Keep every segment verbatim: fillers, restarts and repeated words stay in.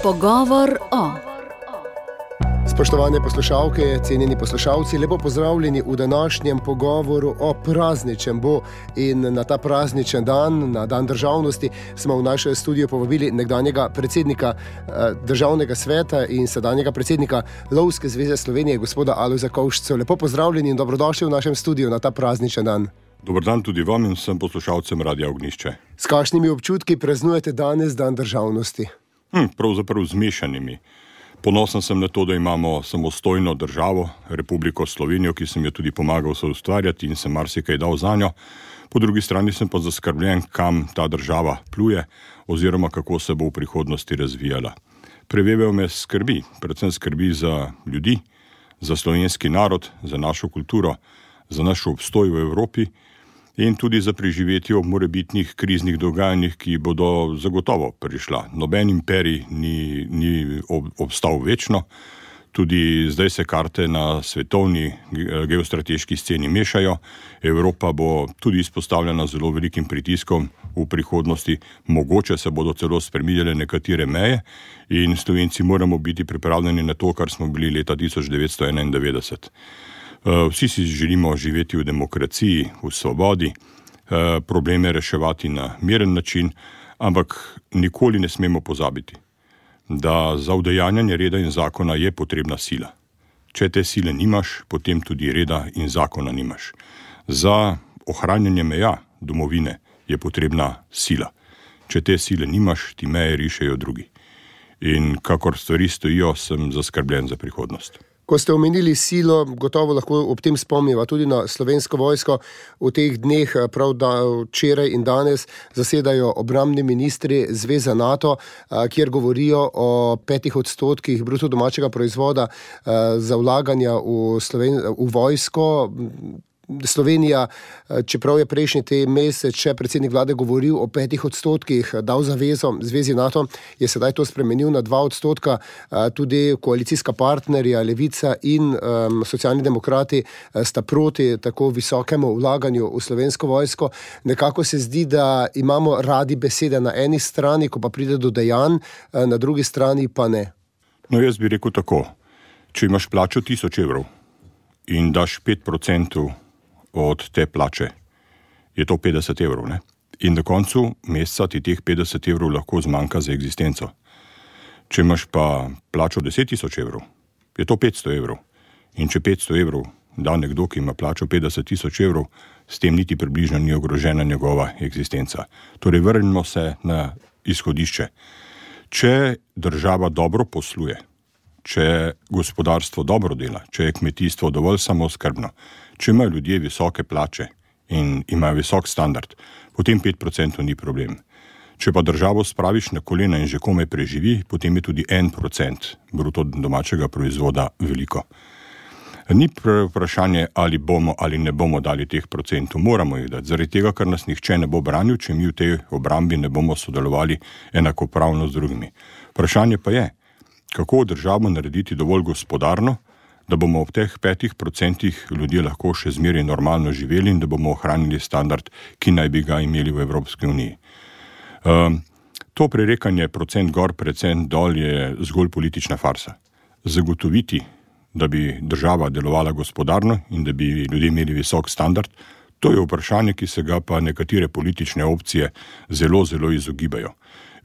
Pogovor o... Spoštovane poslušalke, cenjeni poslušalci, lepo pozdravljeni v današnjem pogovoru o prazničnem bo. In na ta prazničen dan, na dan državnosti, smo v naše studio povabili nekdanjega predsednika državnega sveta in sedanjega predsednika Lovske zveze Slovenije, gospoda Alojza Kovšco. Lepo pozdravljeni in dobrodošli v našem studiu na ta prazničen dan. Dobar dan tudi vam in vsem poslušalcem Radia Ognjišče. S kakšnimi občutki praznujete danes dan državnosti? Hm, pravzaprav zmešanimi. Ponosen sem na to, da imamo samostojno državo, Republiko Slovenijo, ki sem jo tudi pomagal soustvarjati in sem marsikaj dal zanjo. Po drugi strani sem pa zaskrbljen, kam ta država pluje oziroma kako se bo v prihodnosti razvijala. Prevevel me skrbi, predvsem skrbi za ljudi, za slovenski narod, za našo kulturo, za naš obstoj v Evropi in tudi za preživetje ob morebitnih kriznih dogajanjih, ki bodo zagotovo prišla. Noben imperij ni, ni ob, obstal večno, tudi zdaj se karte na svetovni geostrateški sceni mešajo. Evropa bo tudi izpostavljena zelo velikim pritiskom v prihodnosti, mogoče se bodo celo spreminjale nekatere meje in Slovenci moramo biti pripravljeni na to, kar smo bili leta tisoč devetsto enaindevetdeset. Vsi si želimo živeti v demokraciji, v svobodi, probleme reševati na miren način, ampak nikoli ne smemo pozabiti, da za udejanjanje reda in zakona je potrebna sila. Če te sile nimaš, potem tudi reda in zakona nimaš. Za ohranjanje meja domovine je potrebna sila. Če te sile nimaš, ti meje rišejo drugi. In kakor stvari stojijo, sem zaskrbljen za prihodnost. Ko ste omenili silo, gotovo lahko ob tem spomniva tudi na Slovensko vojsko. V teh dneh, prav da včeraj in danes, zasedajo obrambni ministri Zveze NATO, kjer govorijo o petih odstotkih bruto domačega proizvoda za vlaganja v, Sloven- v vojsko. Slovenija, čeprav je prejšnji te mesec še predsednik vlade govoril o petih odstotkih, dal zavezo Zvezi NATO, je sedaj to spremenil na dva odstotka. Tudi koalicijska partnerja Levica in um, Socialni demokrati sta proti tako visokemu vlaganju v Slovensko vojsko. Nekako se zdi, da imamo radi besede na eni strani, ko pa pride do dejanj, na drugi strani pa ne. No, jaz bi rekel tako. Če imaš plačo tisoč evrov in daš pet procentov od te plače, je to petdeset evrov, ne? In na koncu meseca ti teh petdeset evrov lahko zmanjka za eksistenco. Če imaš pa plačo deset tisoč evrov, je to petsto evrov. In če petsto evrov da nekdo, ki ima plačo petdeset tisoč evrov, s tem niti približno ni ogrožena njegova eksistenca. Torej, vrnimo se na izhodišče. Če država dobro posluje, če gospodarstvo dobro dela, če je kmetijstvo dovolj samooskrbno, če imajo ljudje visoke plače in imajo visok standard, potem pet procentov ni problem. Če pa državo spraviš na kolena in že komaj preživi, potem je tudi en procent bruto domačega proizvoda veliko. Ni vprašanje, ali bomo ali ne bomo dali teh procentov, moramo jih dati, zaradi tega, ker nas nihče ne bo branil, če mi v tej obrambi ne bomo sodelovali enakopravno z drugimi. Vprašanje pa je, kako državo narediti dovolj gospodarno, da bomo ob teh petih procentih ljudje lahko še zmeraj normalno živeli in da bomo ohranili standard, ki naj bi ga imeli v Evropski uniji. Um, to prerekanje procent gor, procent dol je zgolj politična farsa. Zagotoviti, da bi država delovala gospodarno in da bi ljudje imeli visok standard, to je vprašanje, ki se ga pa nekatere politične opcije zelo, zelo izogibajo.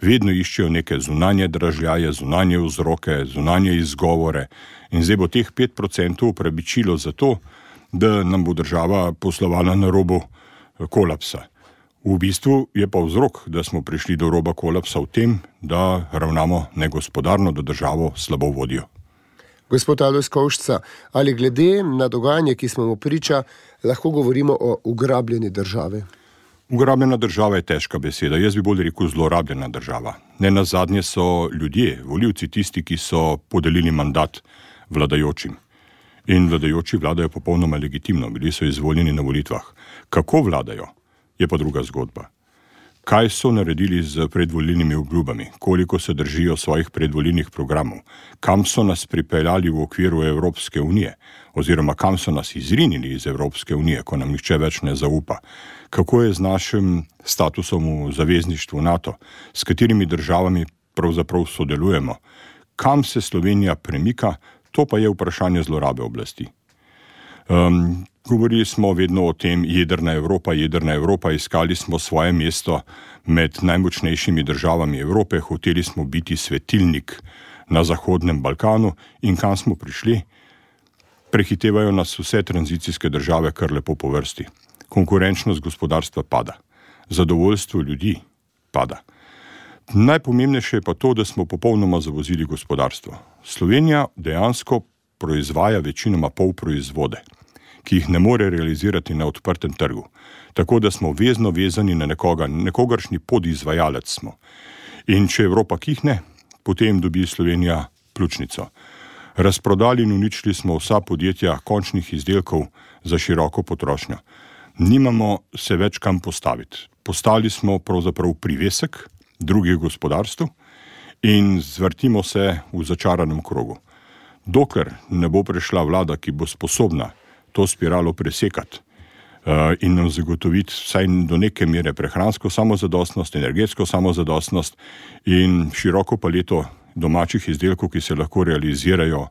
Vedno iščejo neke zunanje dražljaje, zunanje vzroke, zunanje izgovore in zdaj bo teh pet procentov upravičilo za to, da nam bo država poslovala na robu kolapsa. V bistvu je pa vzrok, da smo prišli do roba kolapsa v tem, da ravnamo negospodarno, da državo slabo vodijo. Gospod Alojz Kovšca, ali glede na dogajanje, ki smo mu priča, lahko govorimo o ugrabljeni državi? Ugrabljena država je težka beseda, jaz bi bolj rekel zlorabljena država. Ne nazadnje so ljudje, volivci tisti, ki so podelili mandat vladajočim. In vladajoči vladajo popolnoma legitimno, bili so izvoljeni na volitvah. Kako vladajo, je pa druga zgodba. Kaj so naredili z predvolilnimi obljubami, koliko se držijo svojih predvolilnih programov, kam so nas pripeljali v okviru Evropske unije, oziroma kam so nas izrinili iz Evropske unije, ko nam nihče več ne zaupa, kako je z našim statusom v zavezništvu NATO, s katerimi državami pravzaprav sodelujemo. Kam se Slovenija premika, to pa je vprašanje zlorabe oblasti. Um, govorili smo vedno o tem jedrna Evropa, jedrna Evropa, iskali smo svoje mesto med najmočnejšimi državami Evrope, hoteli smo biti svetilnik na Zahodnem Balkanu in kam smo prišli? Prehitevajo nas vse tranzicijske države kar lepo po vrsti. Konkurenčnost gospodarstva pada. Zadovoljstvo ljudi pada. Najpomembnejše je pa to, da smo popolnoma zavozili gospodarstvo. Slovenija dejansko proizvaja večinoma polproizvode, ki jih ne more realizirati na odprtem trgu. Tako da smo vezno vezani na nekoga, nekogaršnji podizvajalec smo. In če Evropa kihne, potem dobi Slovenija pljučnico. Razprodali in uničili smo vsa podjetja končnih izdelkov za široko potrošnjo. Nimamo se več kam postaviti. Postali smo pravzaprav privesek drugih gospodarstv in zvrtimo se v začaranem krogu. Dokler ne bo prišla vlada, ki bo sposobna to spiralo presekati uh, in nam zagotoviti vsaj do neke mere prehransko samozadostnost, energetsko samozadostnost in široko paleto domačih izdelkov, ki se lahko realizirajo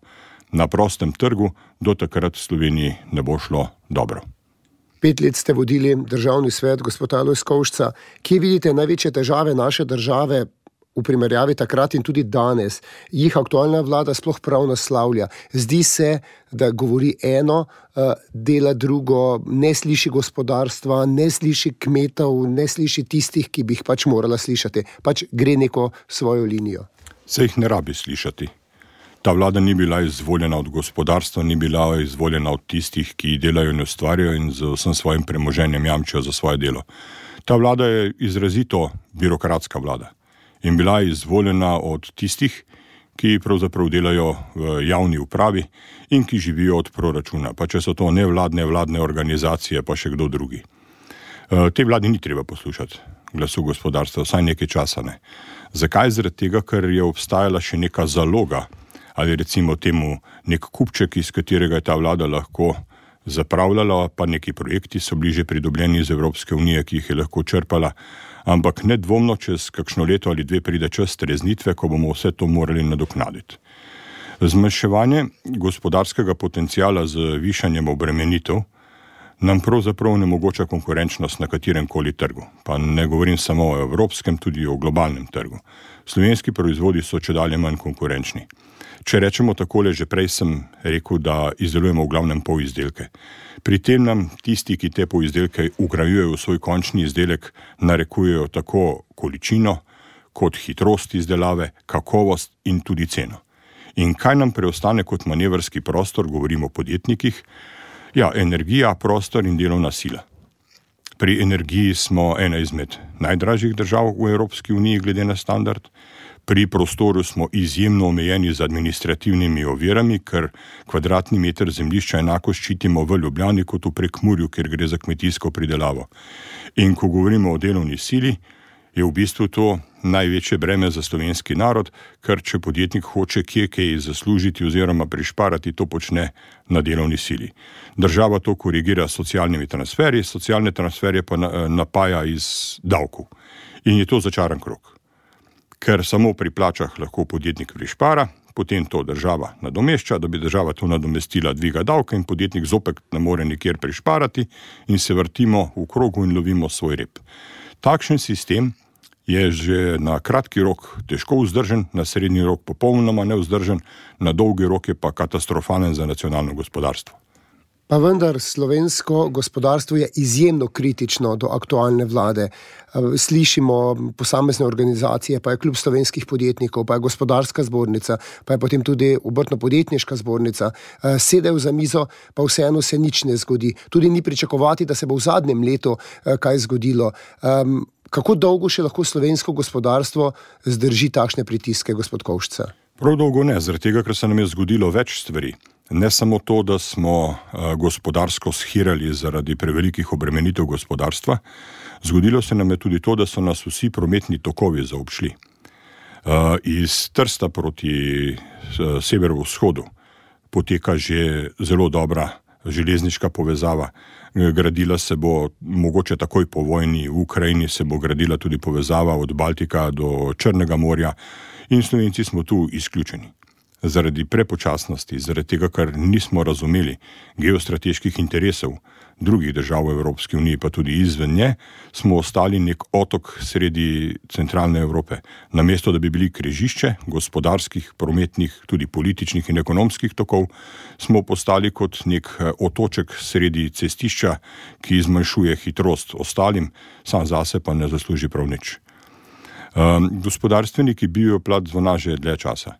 na prostem trgu, do takrat v Sloveniji ne bo šlo dobro. Pet let ste vodili državni svet, gospod Alojz Kovšca. Kje vidite največje težave naše države v primerjavi takrat in tudi danes? Jih aktualna vlada sploh prav naslavlja? Zdi se, da govori eno, dela drugo, ne sliši gospodarstva, ne sliši kmetov, ne sliši tistih, ki bi jih pač morala slišati. Pač gre neko svojo linijo. Se jih ne rabi slišati. Ta vlada ni bila izvoljena od gospodarstva, ni bila izvoljena od tistih, ki delajo in ustvarjajo in z vsem svojim premoženjem jamčijo za svoje delo. Ta vlada je izrazito birokratska vlada in bila je izvoljena od tistih, ki pravzaprav delajo v javni upravi in ki živijo od proračuna, pa če so to nevladne, vladne organizacije, pa še kdo drugi. Te vladi ni treba poslušati glasu gospodarstva, vsaj nekaj časa ne. Zakaj? Zaradi tega, ker je obstajala še neka zaloga, ali recimo temu nek kupček, iz katerega je ta vlada lahko zapravljala, pa neki projekti so bili že pridobljeni iz Evropske unije, ki jih je lahko črpala, ampak nedvomno čez kakšno leto ali dve pride čas streznitve, ko bomo vse to morali nadoknaditi. Zmanjševanje gospodarskega potenciala z višanjem obremenitev nam pravzaprav onemogoča konkurenčnost na katerem koli trgu. Pa ne govorim samo o evropskem, tudi o globalnem trgu. Slovenski proizvodi so čedalje manj konkurenčni. Če rečemo takole, že prej sem rekel, da izdelujemo v glavnem polizdelke. Pri tem nam tisti, ki te polizdelke vgrajujejo v svoj končni izdelek, narekujejo tako količino, kot hitrost izdelave, kakovost in tudi ceno. In kaj nam preostane kot manevrski prostor, govorimo o podjetnikih? Ja, energija, prostor in delovna sila. Pri energiji smo ena izmed najdražjih držav v Evropski uniji glede na standard. Pri prostoru smo izjemno omejeni z administrativnimi ovirami, ker kvadratni meter zemljišča enako ščitimo v Ljubljani kot v Prekmurju, kjer gre za kmetijsko pridelavo. In ko govorimo o delovni sili, je v bistvu to največje breme za slovenski narod, ker če podjetnik hoče kje kaj zaslužiti oziroma prišparati, to počne na delovni sili. Država to korigira s socialnimi transferji, socialne transferje pa napaja iz davkov. In je to začaran krog. Ker samo pri plačah lahko podjetnik prišpara, potem to država nadomešča, da bi država to nadomestila dviga davka in podjetnik zopet ne more nikjer prišparati in se vrtimo v krogu in lovimo svoj rep. Takšen sistem je že na kratki rok težko vzdržen, na srednji rok popolnoma nevzdržen, na dolgi rok je pa katastrofalen za nacionalno gospodarstvo. Pa vendar slovensko gospodarstvo je izjemno kritično do aktualne vlade. Slišimo posamezne organizacije, pa je klub slovenskih podjetnikov, pa je gospodarska zbornica, pa je potem tudi obrtno-podjetniška zbornica. Sedejo za mizo, pa vseeno se nič ne zgodi. Tudi ni pričakovati, da se bo v zadnjem letu kaj zgodilo. Kako dolgo še lahko slovensko gospodarstvo zdrži takšne pritiske, gospod Kovšca? Prav dolgo ne, zaradi tega, ker se nam je zgodilo več stvari. Ne samo to, da smo gospodarsko shirali zaradi prevelikih obremenitev gospodarstva, zgodilo se nam je tudi to, da so nas vsi prometni tokovi zaobšli. Iz Trsta proti severovzhodu poteka že zelo dobra železniška povezava. Gradila se bo, mogoče takoj po vojni v Ukrajini, se bo gradila tudi povezava od Baltika do Črnega morja In Slovenci smo tu izključeni. Zaradi prepočasnosti, zaradi tega, ker nismo razumeli geostrateških interesov drugih držav v Evropski uniji, pa tudi izven nje, smo ostali nek otok sredi centralne Evrope. Namesto, da bi bili križišče gospodarskih, prometnih, tudi političnih in ekonomskih tokov, smo postali kot nek otoček sredi cestišča, ki zmanjšuje hitrost ostalim, sam zase pa ne zasluži prav nič. Um, gospodarstveniki bijo plat zvona že dlje časa.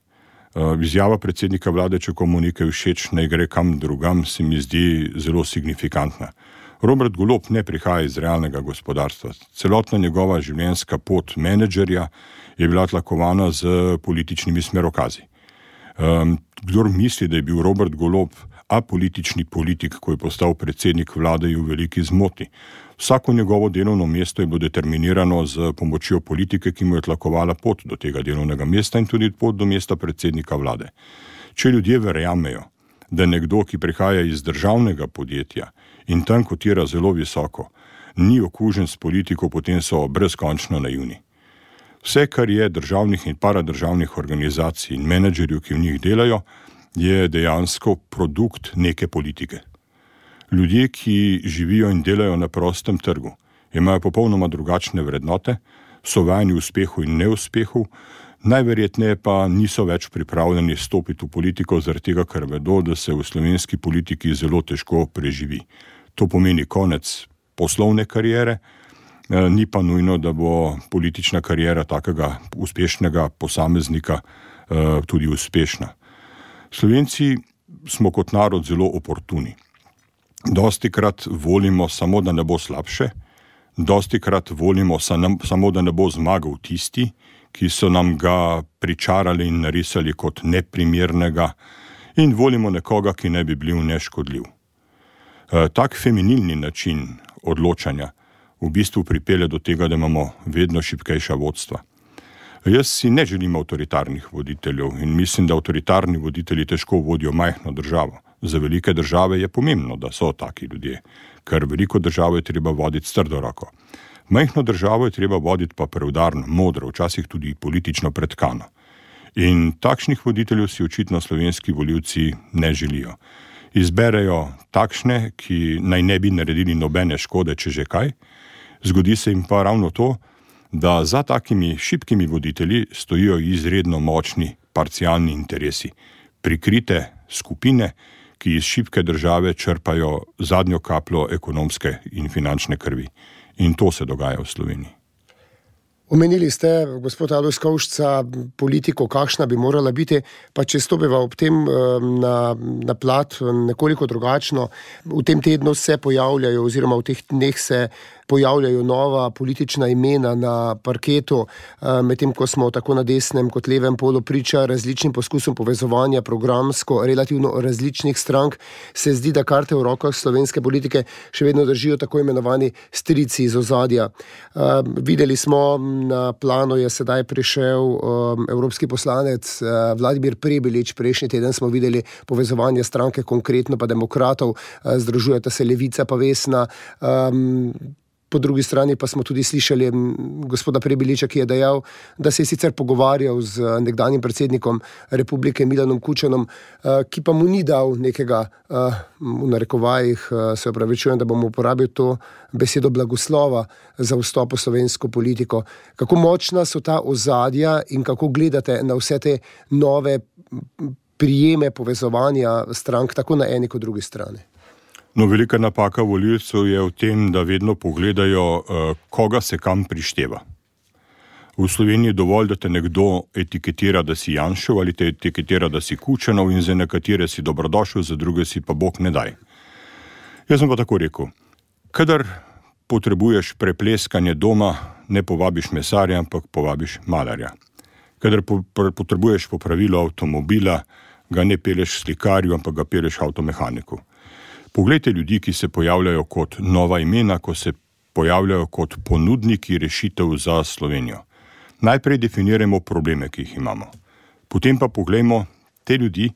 Izjava predsednika vlade, če komu nekaj všeč, naj gre kam drugam, se mi zdi zelo signifikantna. Robert Golob ne prihaja iz realnega gospodarstva. Celotna njegova življenjska pot menedžerja je bila tlakovana z političnimi smerokazi. Um, kdor misli, da je bil Robert Golob apolitični politik, ko je postal predsednik vlade, je v veliki zmoti. Vsako njegovo delovno mesto je bilo determinirano z pomočjo politike, ki mu je tlakovala pot do tega delovnega mesta in tudi pot do mesta predsednika vlade. Če ljudje verjamejo, da nekdo, ki prihaja iz državnega podjetja in tam kotira zelo visoko, ni okužen s politiko, potem so brezkončno naivni. Vse, kar je državnih in paradržavnih organizacij in menedžerjev, ki v njih delajo, je dejansko produkt neke politike. Ljudje, ki živijo in delajo na prostem trgu, imajo popolnoma drugačne vrednote, so vajeni uspehu in neuspehu, najverjetneje pa niso več pripravljeni stopiti v politiko, zaradi tega, ker vedo, da se v slovenski politiki zelo težko preživi. To pomeni konec poslovne kariere, ni pa nujno, da bo politična kariera takega uspešnega posameznika tudi uspešna. Slovenci smo kot narod zelo oportuni. Dostikrat volimo samo, da ne bo slabše, dostikrat volimo samo, da ne bo zmagal tisti, ki so nam ga pričarali in narisali kot neprimernega, in volimo nekoga, ki ne bi bil neškodljiv. Tak feminilni način odločanja v bistvu pripelje do tega, da imamo vedno šibkejša vodstva. Jaz si ne želim avtoritarnih voditeljev in mislim, da avtoritarni voditelji težko vodijo majhno državo. Za velike države je pomembno, da so taki ljudje, ker veliko državo je treba voditi s trdo roko. Majhno državo je treba voditi pa preudarno, modro, včasih tudi politično pretkano. In takšnih voditeljev si očitno slovenski volivci ne želijo. Izberejo takšne, ki naj ne bi naredili nobene škode, če že kaj. Zgodi se jim pa ravno to, da za takimi šibkimi voditelji stojijo izredno močni parcialni interesi, prikrite skupine, ki iz šibke države črpajo zadnjo kapljo ekonomske in finančne krvi. In to se dogaja v Sloveniji. Omenili ste, gospod Alojz Kovšca, politiko, kakšna bi morala biti, pa če stopiva ob tem na, na plat nekoliko drugačno. V tem tednu se pojavljajo, oziroma v teh dneh se pojavljajo nova politična imena na parketu, medtem ko smo tako na desnem kot levem polu priča različnim poskusom povezovanja programsko relativno različnih strank, se zdi, da karte v rokah slovenske politike še vedno držijo tako imenovani strici iz ozadja. Videli smo, na plano je sedaj prišel um, evropski poslanec uh, Vladimir Prebilič. Prejšnji teden smo videli povezovanje stranke Konkretno pa Demokratov, uh, združujeta se Levica pa Vesna. Um, po drugi strani pa smo tudi slišali gospoda Prebiliča, ki je dejal, da se je sicer pogovarjal z nekdanjim predsednikom republike Milanom Kučanom, uh, ki pa mu ni dal nekega, uh, v narekovajih, uh, se opravičujem, da bom uporabil to besedo blagoslova za vstop v slovensko politiko. Kako močna so ta ozadja in kako gledate na vse te nove prijeme povezovanja strank, tako na eni kot drugi strani? No, velika napaka volivcev je v tem, da vedno pogledajo, koga se kam prišteva. V Sloveniji je dovolj, da te nekdo etiketira, da si Janšev, ali te etiketira, da si Kučanov, in za nekatere si dobrodošel, za druge si pa Bog ne daj. Jaz sem pa tako rekel, kadar potrebuješ prepleskanje doma, ne povabiš mesarja, ampak povabiš malarja. Kadar po, potrebuješ popravilo avtomobila, ga ne peleš slikarju, ampak ga peleš avtomehaniku. Poglejte ljudi, ki se pojavljajo kot nova imena, ko se pojavljajo kot ponudniki rešitev za Slovenijo. Najprej definirajmo probleme, ki jih imamo. Potem pa poglejmo te ljudi,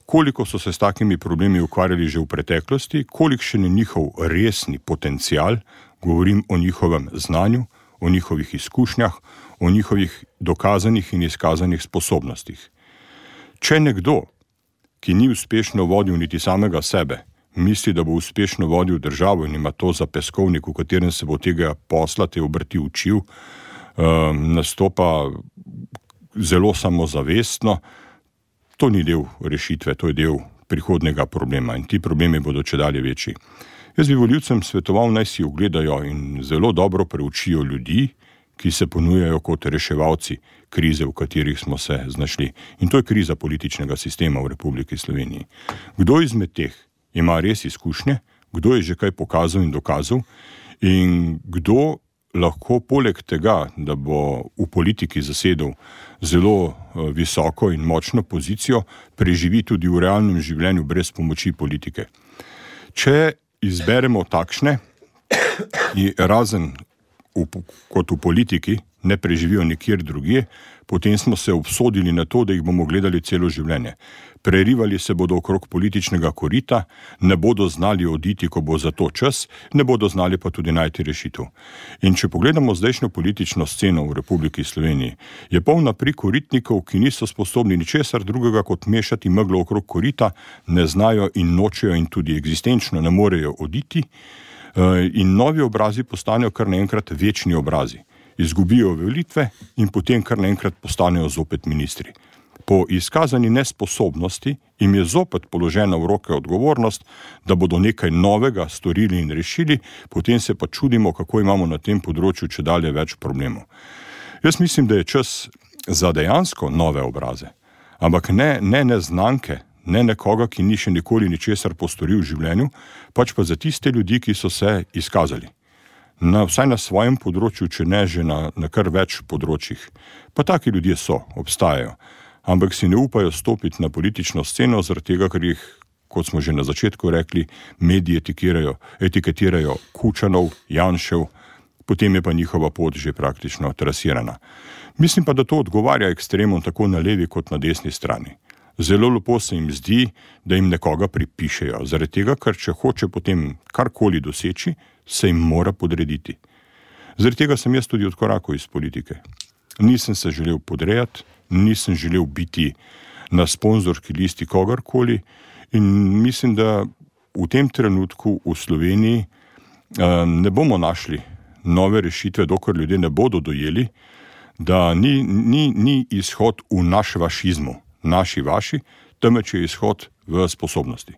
koliko so se s takimi problemi ukvarjali že v preteklosti, kolikšen je njihov resni potencial, govorim o njihovem znanju, o njihovih izkušnjah, o njihovih dokazanih in izkazanih sposobnostih. Če nekdo, ki ni uspešno vodil niti samega sebe, misli, da bo uspešno vodil državo in ima to za peskovnik, v katerem se bo tega posla, te obrti učil, um, nastopa zelo samozavestno, to ni del rešitve, to je del prihodnega problema in ti problemi bodo čedalje večji. Jaz bi volivcem svetoval, naj si ogledajo in zelo dobro preučijo ljudi, ki se ponujajo kot reševalci krize, v katerih smo se znašli. In to je kriza političnega sistema v Republiki Sloveniji. Kdo izmed teh ima res izkušnje, kdo je že kaj pokazal in dokazal in kdo lahko poleg tega, da bo v politiki zasedel zelo visoko in močno pozicijo, preživi tudi v realnem življenju brez pomoči politike. Če izberemo takšne, razen v, kot v politiki, ne preživijo nikjer drugje, potem smo se obsodili na to, da jih bomo gledali celo življenje. Prerivali se bodo okrog političnega korita, ne bodo znali oditi, ko bo za to čas, ne bodo znali pa tudi najti rešitev. In če pogledamo zdajšnjo politično sceno v Republiki Sloveniji, je polna prikoritnikov, ki niso sposobni ničesar drugega kot mešati meglo okrog korita, ne znajo in nočejo in tudi eksistenčno ne morejo oditi, in novi obrazi postanejo kar naenkrat večni obrazi. Izgubijo volitve in potem kar naenkrat postanejo zopet ministri. Po izkazani nesposobnosti jim je zopet položena v roke odgovornost, da bodo nekaj novega storili in rešili, potem se pa čudimo, kako imamo na tem področju čedalje več problemov. Jaz mislim, da je čas za dejansko nove obraze, ampak ne, ne neznanke, ne nekoga, ki ni še nikoli ničesar postoril v življenju, pač pa za tiste ljudi, ki so se izkazali. Na, vsaj na svojem področju, če ne že na, na kar več področjih. Pa taki ljudje so, obstajajo. Ampak si ne upajo stopiti na politično sceno, zaradi tega, ker jih, kot smo že na začetku rekli, mediji etikirajo, etiketirajo Kučanov, Janšev, potem je pa njihova pot že praktično trasirana. Mislim pa, da to odgovarja ekstremom tako na levi kot na desni strani. Zelo lepo se jim zdi, da jim nekoga pripišejo, zaradi tega, ker če hoče potem karkoli doseči, se jim mora podrediti. Zaradi tega sem jaz tudi odkorakal iz politike. Nisem se želel podrejati, nisem želel biti na sponzorski listi kogarkoli in mislim, da v tem trenutku v Sloveniji ne bomo našli nove rešitve, dokler ljudje ne bodo dojeli, da ni, ni, ni izhod v naš vašizmu, naši vaši, temveč je izhod v sposobnosti.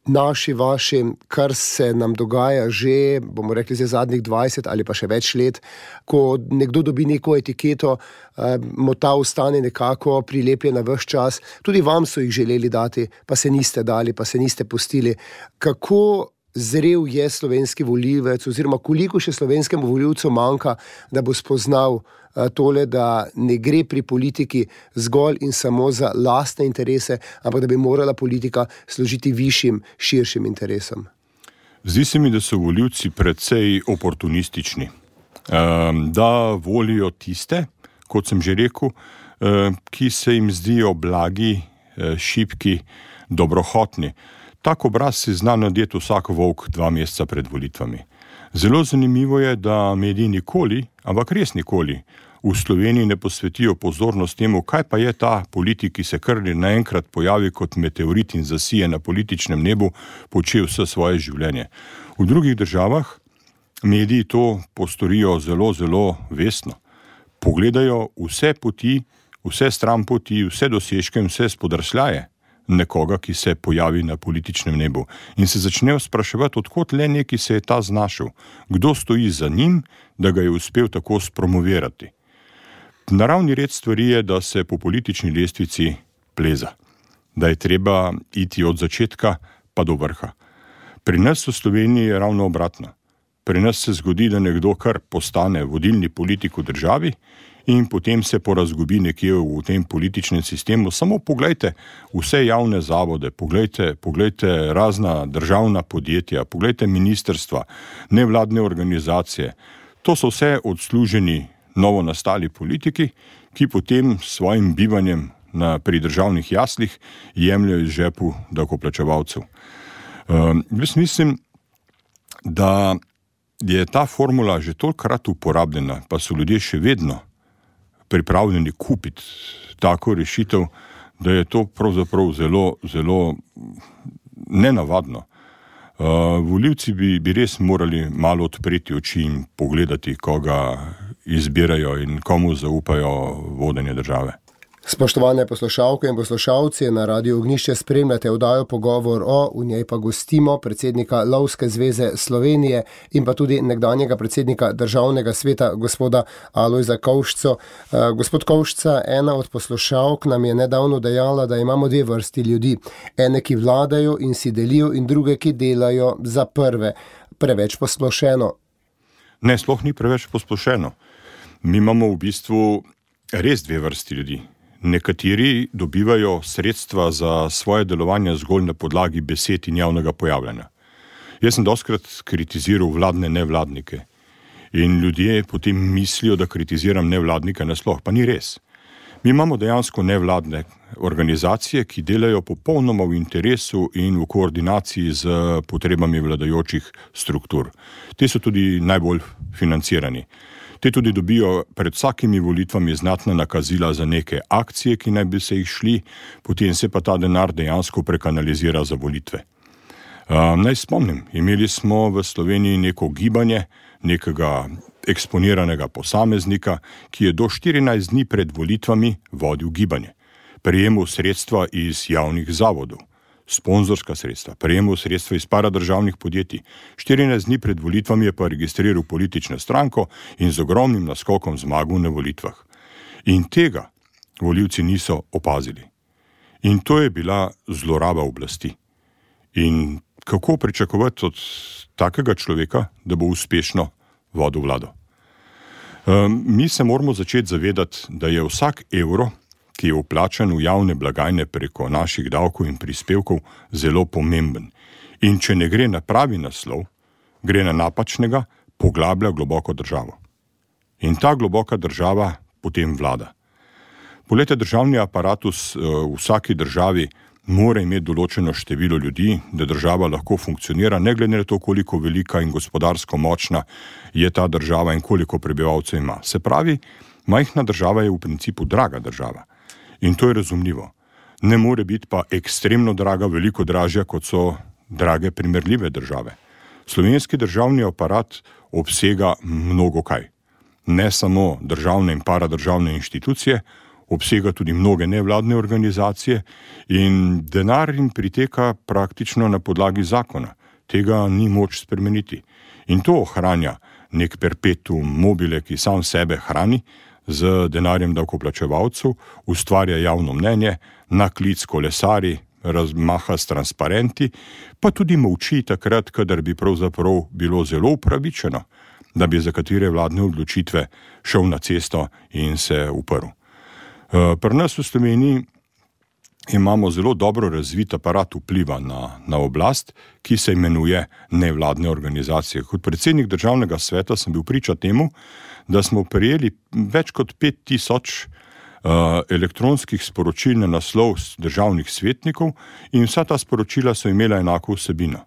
Naši vaši, kar se nam dogaja že, bomo rekli, za zadnjih dvajset ali pa še več let, ko nekdo dobi neko etiketo, mu ta ostane nekako prilepljena ves čas. Tudi vam so jih želeli dati, pa se niste dali, pa se niste pustili. Kako zrel je slovenski volivec oziroma koliko še slovenskemu volivcu manjka, da bo spoznal tole, da ne gre pri politiki zgolj in samo za lastne interese, ampak da bi morala politika služiti višjim, širšim interesom. Zdi se mi, da so volivci precej oportunistični, da volijo tiste, kot sem že rekel, ki se jim zdijo blagi, šibki, dobrohotni. Tak obraz si zna nadeti vsak volk dva meseca pred volitvami. Zelo zanimivo je, da mediji nikoli, ampak res nikoli, v Sloveniji ne posvetijo pozornost temu, kaj pa je ta politik, ki se kar naenkrat pojavi kot meteorit in zasije na političnem nebu, počel vse svoje življenje. V drugih državah mediji to postorijo zelo, zelo vestno. Pogledajo vse poti, vse stran poti, vse dosežke in vse spodrsljaje nekoga, ki se pojavi na političnem nebu. In se začnejo spraševati, odkot le neki se je ta znašel, kdo stoji za njim, da ga je uspel tako spromovirati. Naravni red stvari je, da se po politični lestvici pleza, da je treba iti od začetka pa do vrha. Pri nas v Sloveniji je ravno obratno. Pri nas se zgodi, da nekdo kar postane vodilni politik v državi in potem se porazgubi nekje v tem političnem sistemu. Samo poglejte vse javne zavode, poglejte, poglejte razna državna podjetja, poglejte ministrstva, nevladne organizacije. To so vse odsluženi novo nastali politiki, ki potem s svojim bivanjem na, pri državnih jaslih jemljajo iz žepu davkoplačevalcev. Um, jaz mislim, da je ta formula že tolikokrat uporabljena, pa so ljudje še vedno pripravljeni kupiti tako rešitev, da je to pravzaprav zelo, zelo nenavadno. Uh, volivci bi, bi res morali malo odpreti oči in pogledati, koga izbirajo in komu zaupajo vodenje države. Spoštovane poslušalke in poslušalci, na Radiu Ognjišče spremljate oddajo Pogovor o, v njej pa gostimo predsednika Lovske zveze Slovenije in pa tudi nekdanjega predsednika Državnega sveta, gospoda Alojza Kovšco. Gospod Kovšca, ena od poslušalk nam je nedavno dejala, da imamo dve vrsti ljudi. Ene, ki vladajo in si delijo, in druge, ki delajo za prve. Preveč posplošeno? Ne, sploh ni preveč posplošeno. Mi imamo v bistvu res dve vrsti ljudi. Nekateri dobivajo sredstva za svoje delovanje zgolj na podlagi besed in javnega pojavljanja. Jaz sem dostikrat kritiziral vladne nevladnike in ljudje potem mislijo, da kritiziram nevladnike nasploh, pa ni res. Mi imamo dejansko nevladne organizacije, ki delajo popolnoma v interesu in v koordinaciji z potrebami vladajočih struktur. Te so tudi najbolj financirani. Te tudi dobijo pred vsakimi volitvami znatna nakazila za neke akcije, ki naj bi se jih šli, potem se pa ta denar dejansko prekanalizira za volitve. Uh, naj spomnim, imeli smo v Sloveniji neko gibanje, nekega eksponiranega posameznika, ki je do štirinajst dni pred volitvami vodil gibanje. Prejemal sredstva iz javnih zavodov, sponzorska sredstva, prejemal sredstva iz paradržavnih podjetij. štirinajst dni pred volitvami je pa registriral politično stranko in z ogromnim naskokom zmagal na volitvah. In tega volivci niso opazili. In to je bila zloraba oblasti. In kako pričakovati od takega človeka, da bo uspešno vodil vlado? Um, mi se moramo začeti zavedati, da je vsak evro, ki je vplačan v javne blagajne preko naših davkov in prispevkov, zelo pomemben. In če ne gre na pravi naslov, gre na napačnega, poglablja globoko državo. In ta globoka država potem vlada. Poglejte, državni aparatus v vsaki državi mora imeti določeno število ljudi, da država lahko funkcionira, ne glede na to, koliko velika in gospodarsko močna je ta država in koliko prebivalcev ima. Se pravi, majhna država je v principu draga država. In to je razumljivo. Ne more biti pa ekstremno draga, veliko dražja, kot so drage primerljive države. Slovenski državni aparat obsega mnogo kaj. Ne samo državne in paradržavne inštitucije, obsega tudi mnoge nevladne organizacije in denar jim priteka praktično na podlagi zakona. Tega ni moč spremeniti. In to ohranja nek perpetuum mobile, ki sam sebe hrani z denarjem davkoplačevalcev, ustvarja javno mnenje, na klic kolesari, razmaha s transparenti, pa tudi molči takrat, kadar bi pravzaprav bilo zelo upravičeno, da bi za katere vladne odločitve šel na cesto in se uprl. Pri nas v Sloveniji imamo zelo dobro razvit aparat vpliva na, na oblast, ki se imenuje nevladne organizacije. Kot predsednik Državnega sveta sem bil priča temu, da smo prejeli več kot pet tisoč uh, elektronskih sporočil na naslov državnih svetnikov in vsa ta sporočila so imela enako vsebino.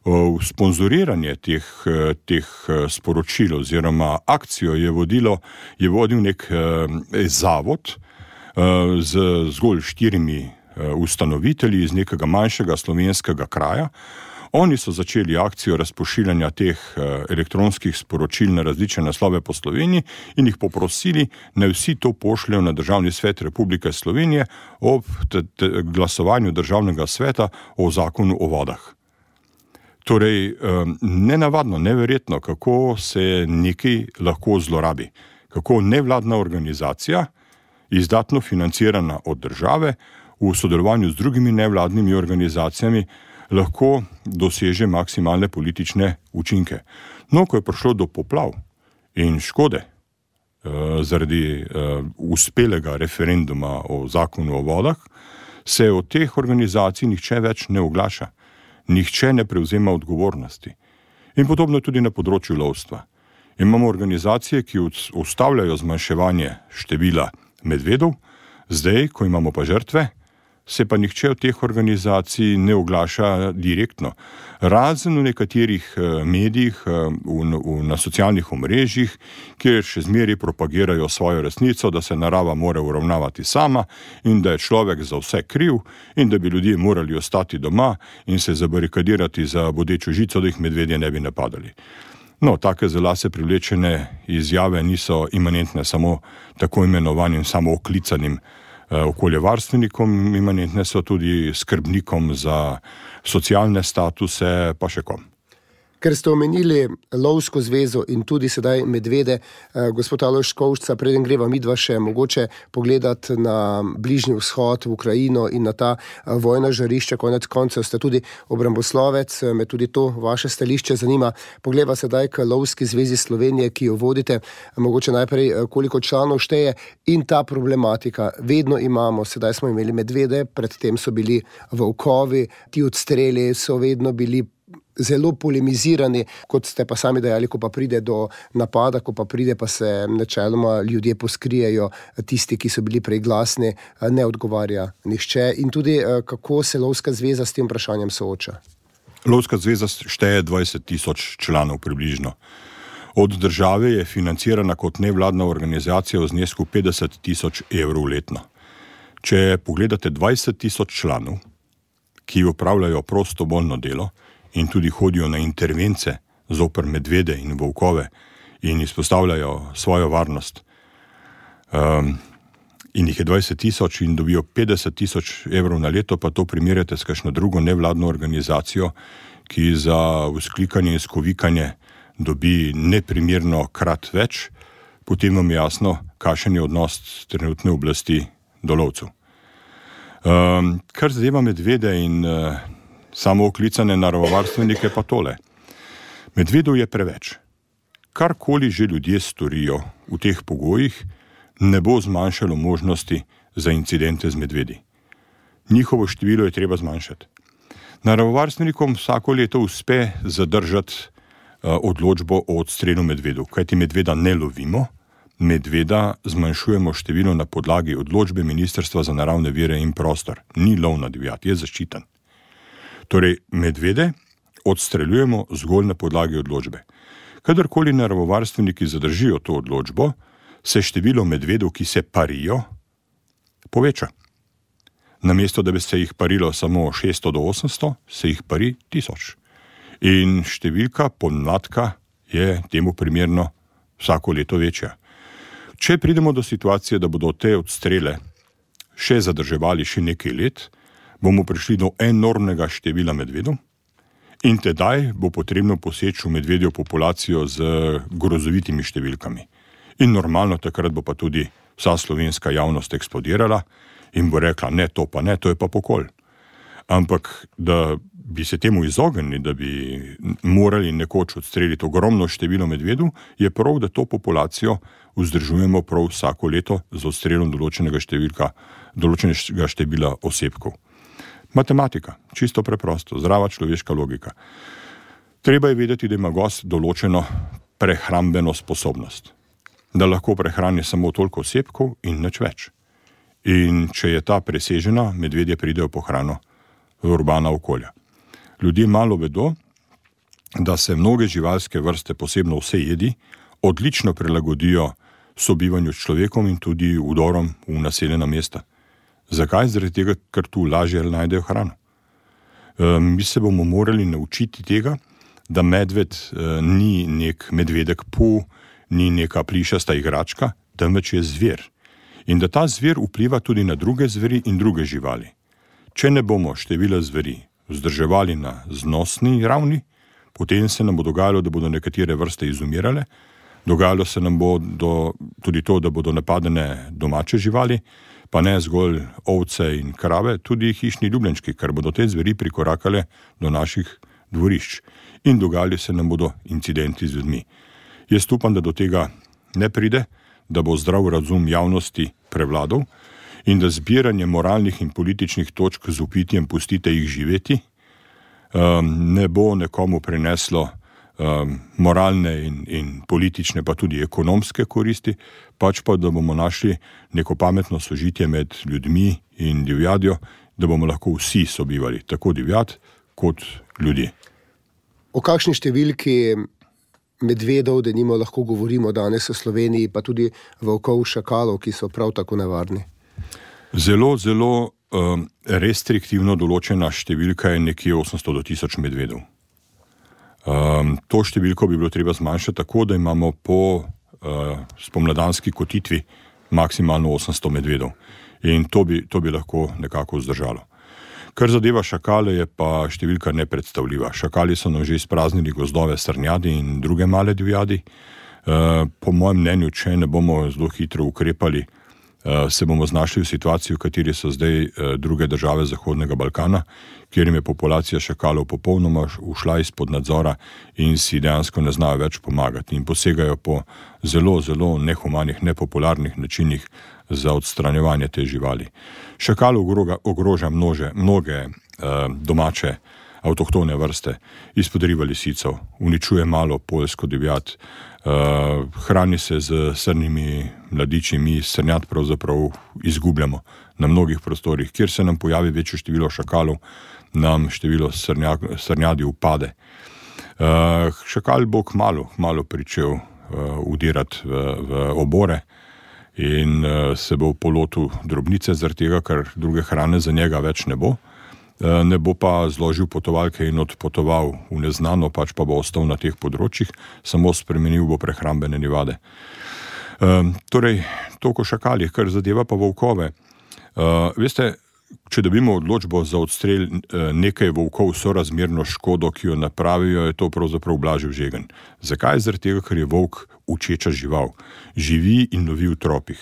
Uh, sponzoriranje teh, uh, teh uh, sporočil oziroma akcijo je, vodilo, je vodil nek uh, zavod uh, z zgolj štirimi uh, ustanovitelji iz nekega manjšega slovenskega kraja. Oni so začeli akcijo razpošiljanja teh elektronskih sporočil na različne naslove po Sloveniji in jih poprosili, naj vsi to pošljajo na Državni svet Republike Slovenije ob t- t- glasovanju Državnega sveta o zakonu o vodah. Torej, nenavadno, neverjetno, kako se nekaj lahko zlorabi. Kako nevladna organizacija, izdatno financirana od države, v sodelovanju z drugimi nevladnimi organizacijami, lahko doseže maksimalne politične učinke. No, ko je prišlo do poplav in škode uh, zaradi uh, uspelega referenduma o zakonu o vodah, se od teh organizacij nihče več ne oglaša. Nihče ne prevzema odgovornosti. In podobno tudi na področju lovstva. Imamo organizacije, ki ustavljajo zmanjševanje števila medvedov, zdaj, ko imamo pa žrtve, se pa nihče od teh organizacij ne oglaša direktno. Razen v nekaterih medijih, v, v, na socialnih omrežjih, kjer še zmeraj propagirajo svojo resnico, da se narava mora uravnavati sama in da je človek za vse kriv in da bi ljudje morali ostati doma in se zabarikadirati za bodečo žico, da jih medvedje ne bi napadali. No, take za lase privlečene izjave niso imanentne samo tako imenovanim samooklicanim okoljevarstvenikom, imanentne so tudi skrbnikom za socialne statuse, pa še kom. Ker ste omenili Lovsko zvezo in tudi sedaj medvede, gospod Alojz Škovšca, preden greva midva še mogoče pogledati na Bližnji vzhod, v Ukrajino in na ta vojna žarišča, konec koncev ste tudi obramboslovec, me tudi to vaše stališče zanima. Poglejva sedaj k Lovski zvezi Slovenije, ki jo vodite, mogoče najprej koliko članov šteje in ta problematika. Vedno imamo, sedaj smo imeli medvede, predtem so bili volkovi, ti odstreli so vedno bili zelo polemizirani, kot ste pa sami dejali, ko pa pride do napada, ko pa pride, pa se načeloma ljudje poskrijejo, tisti, ki so bili prej glasni, ne odgovarja nihče. In tudi kako se Lovska zveza s tem vprašanjem sooča? Lovska zveza šteje dvajset tisoč članov približno. Od države je financirana kot nevladna organizacija v znesku petdeset tisoč evrov letno. Če pogledate dvajset tisoč članov, ki opravljajo prostovoljno delo, in tudi hodijo na intervence zoper medvede in volkove in izpostavljajo svojo varnost. Um, in jih je dvajset tisoč in dobijo petdeset tisoč evrov na leto, pa to primerjate s kakšno drugo nevladno organizacijo, ki za vzklikanje in skovikanje dobi neprimerno krat več, potem vam je jasno, kakšen je odnos trenutne oblasti do lovcev. Um, kar zadeva medvede in uh, samo oklicane naravovarstvenike pa tole. Medvedov je preveč. Karkoli že ljudje storijo v teh pogojih, ne bo zmanjšalo možnosti za incidente z medvedi. Njihovo število je treba zmanjšati. Naravovarstevnikom vsako leto uspe zadržati uh, odločbo o odstrelu medvedov, kajti medveda ne lovimo, medveda zmanjšujemo število na podlagi odločbe Ministrstva za naravne vire in prostor. Ni lov na divjad, je zaščiten. Torej, medvede odstreljujemo zgolj na podlagi odločbe. Kadarkoli naravovarstveniki zadržijo to odločbo, se število medvedov, ki se parijo, poveča. Namesto, da bi se jih parilo samo šeststo do osemsto, se jih pari tisoč. In številka podmladka je temu primerno vsako leto večja. Če pridemo do situacije, da bodo te odstrele še zadrževali še nekaj let, bomo prišli do enormnega števila medvedov in tedaj bo potrebno poseči v medvedjo populacijo z grozovitimi številkami. In normalno takrat bo pa tudi vsa slovenska javnost eksplodirala in bo rekla, ne, to pa ne, to je pa pokol. Ampak, da bi se temu izognili, da bi morali nekoč odstreliti ogromno število medvedov, je prav, da to populacijo vzdržujemo prav vsako leto z odstrelom določenega številka, določenega števila osebkov. Matematika, čisto preprosto, zdrava človeška logika. Treba je vedeti, da ima gost določeno prehrambeno sposobnost. Da lahko prehrani samo toliko osebkov in nič več. In če je ta presežena, medvedje pridejo po hrano v urbana okolja. Ljudje malo vedo, da se mnoge živalske vrste, posebno vse jedi, odlično prilagodijo sobivanju s človekom in tudi vdorom v naseljena mesta. Zakaj? Zaradi tega, ker tu lažje najdejo hrano. E, mi se bomo morali naučiti tega, da medved e, ni nek medvedek pu, ni neka plišasta igračka, temveč je zver. In da ta zver vpliva tudi na druge zveri in druge živali. Če ne bomo števila zveri vzdrževali na znosni ravni, potem se nam bo dogajalo, da bodo nekatere vrste izumirale, dogajalo se nam bo do, tudi to, da bodo napadene domače živali, pa ne zgolj ovce in krave, tudi hišni ljubljenčki, ker bodo te zveri prikorakale do naših dvorišč in dogajali se nam bodo incidenti z ljudmi. Jaz upam, da do tega ne pride, da bo zdrav razum javnosti prevladal in da zbiranje moralnih in političnih točk z upitjem pustite jih živeti um, ne bo nekomu prineslo um, moralne in, in politične, pa tudi ekonomske koristi, pač pa da bomo našli neko pametno sožitje med ljudmi in divjadjo da bomo lahko vsi sobivali, tako divjad kot ljudje. O kakšni številki medvedov, denimo, lahko govorimo danes v Sloveniji, pa tudi volkov, šakalov, ki so prav tako nevarni? Zelo, zelo um, restriktivno določena številka je nekje osemsto do tisoč medvedov. Um, to številko bi bilo treba zmanjšati tako, da imamo po uh, spomladanski kotitvi maksimalno osemsto medvedov. In to bi, to bi lahko nekako vzdržalo. Kar zadeva šakale, je pa številka nepredstavljiva. Šakali so nam že izpraznili gozdove, srnjadi in druge male divjadi. Uh, po mojem mnenju, če ne bomo zelo hitro ukrepali, uh, se bomo znašli v situaciji, v kateri so zdaj uh, druge države Zahodnega Balkana, kjer jim je populacija šakalov popolnoma ušla izpod nadzora in si dejansko ne znajo več pomagati in posegajo po zelo, zelo nehumanih, nepopularnih načinih za odstranjevanje te živali. Šakal ogroga, ogroža množe, mnoge eh, domače avtohtone vrste, izpodriva lisico, uničuje malo poljsko divjad, eh, hrani se z srnimi mladiči, mi srnjad pravzaprav izgubljamo na mnogih prostorih. Kjer se nam pojavi večje število šakalov, nam število srnja, srnjadi upade. Uh, šakal bo kmalu, kmalu pričel uh, udirati v, v obore in uh, se bo polotil drobnice zaradi tega, ker druge hrane za njega več ne bo. Uh, ne bo pa zložil potovalke in odpotoval v neznano, pač pa bo ostal na teh področjih, samo spremenil bo prehrambene navade. Uh, torej, toliko šakali, kar zadeva pa volkove. Uh, veste, če dobimo odločbo za odstrel nekaj volkov sorazmerno škodo, ki jo napravijo, je to pravzaprav blažil žegen. Zakaj? Zaradi tega, ker je volk učeča žival. Živi in lovi v tropih.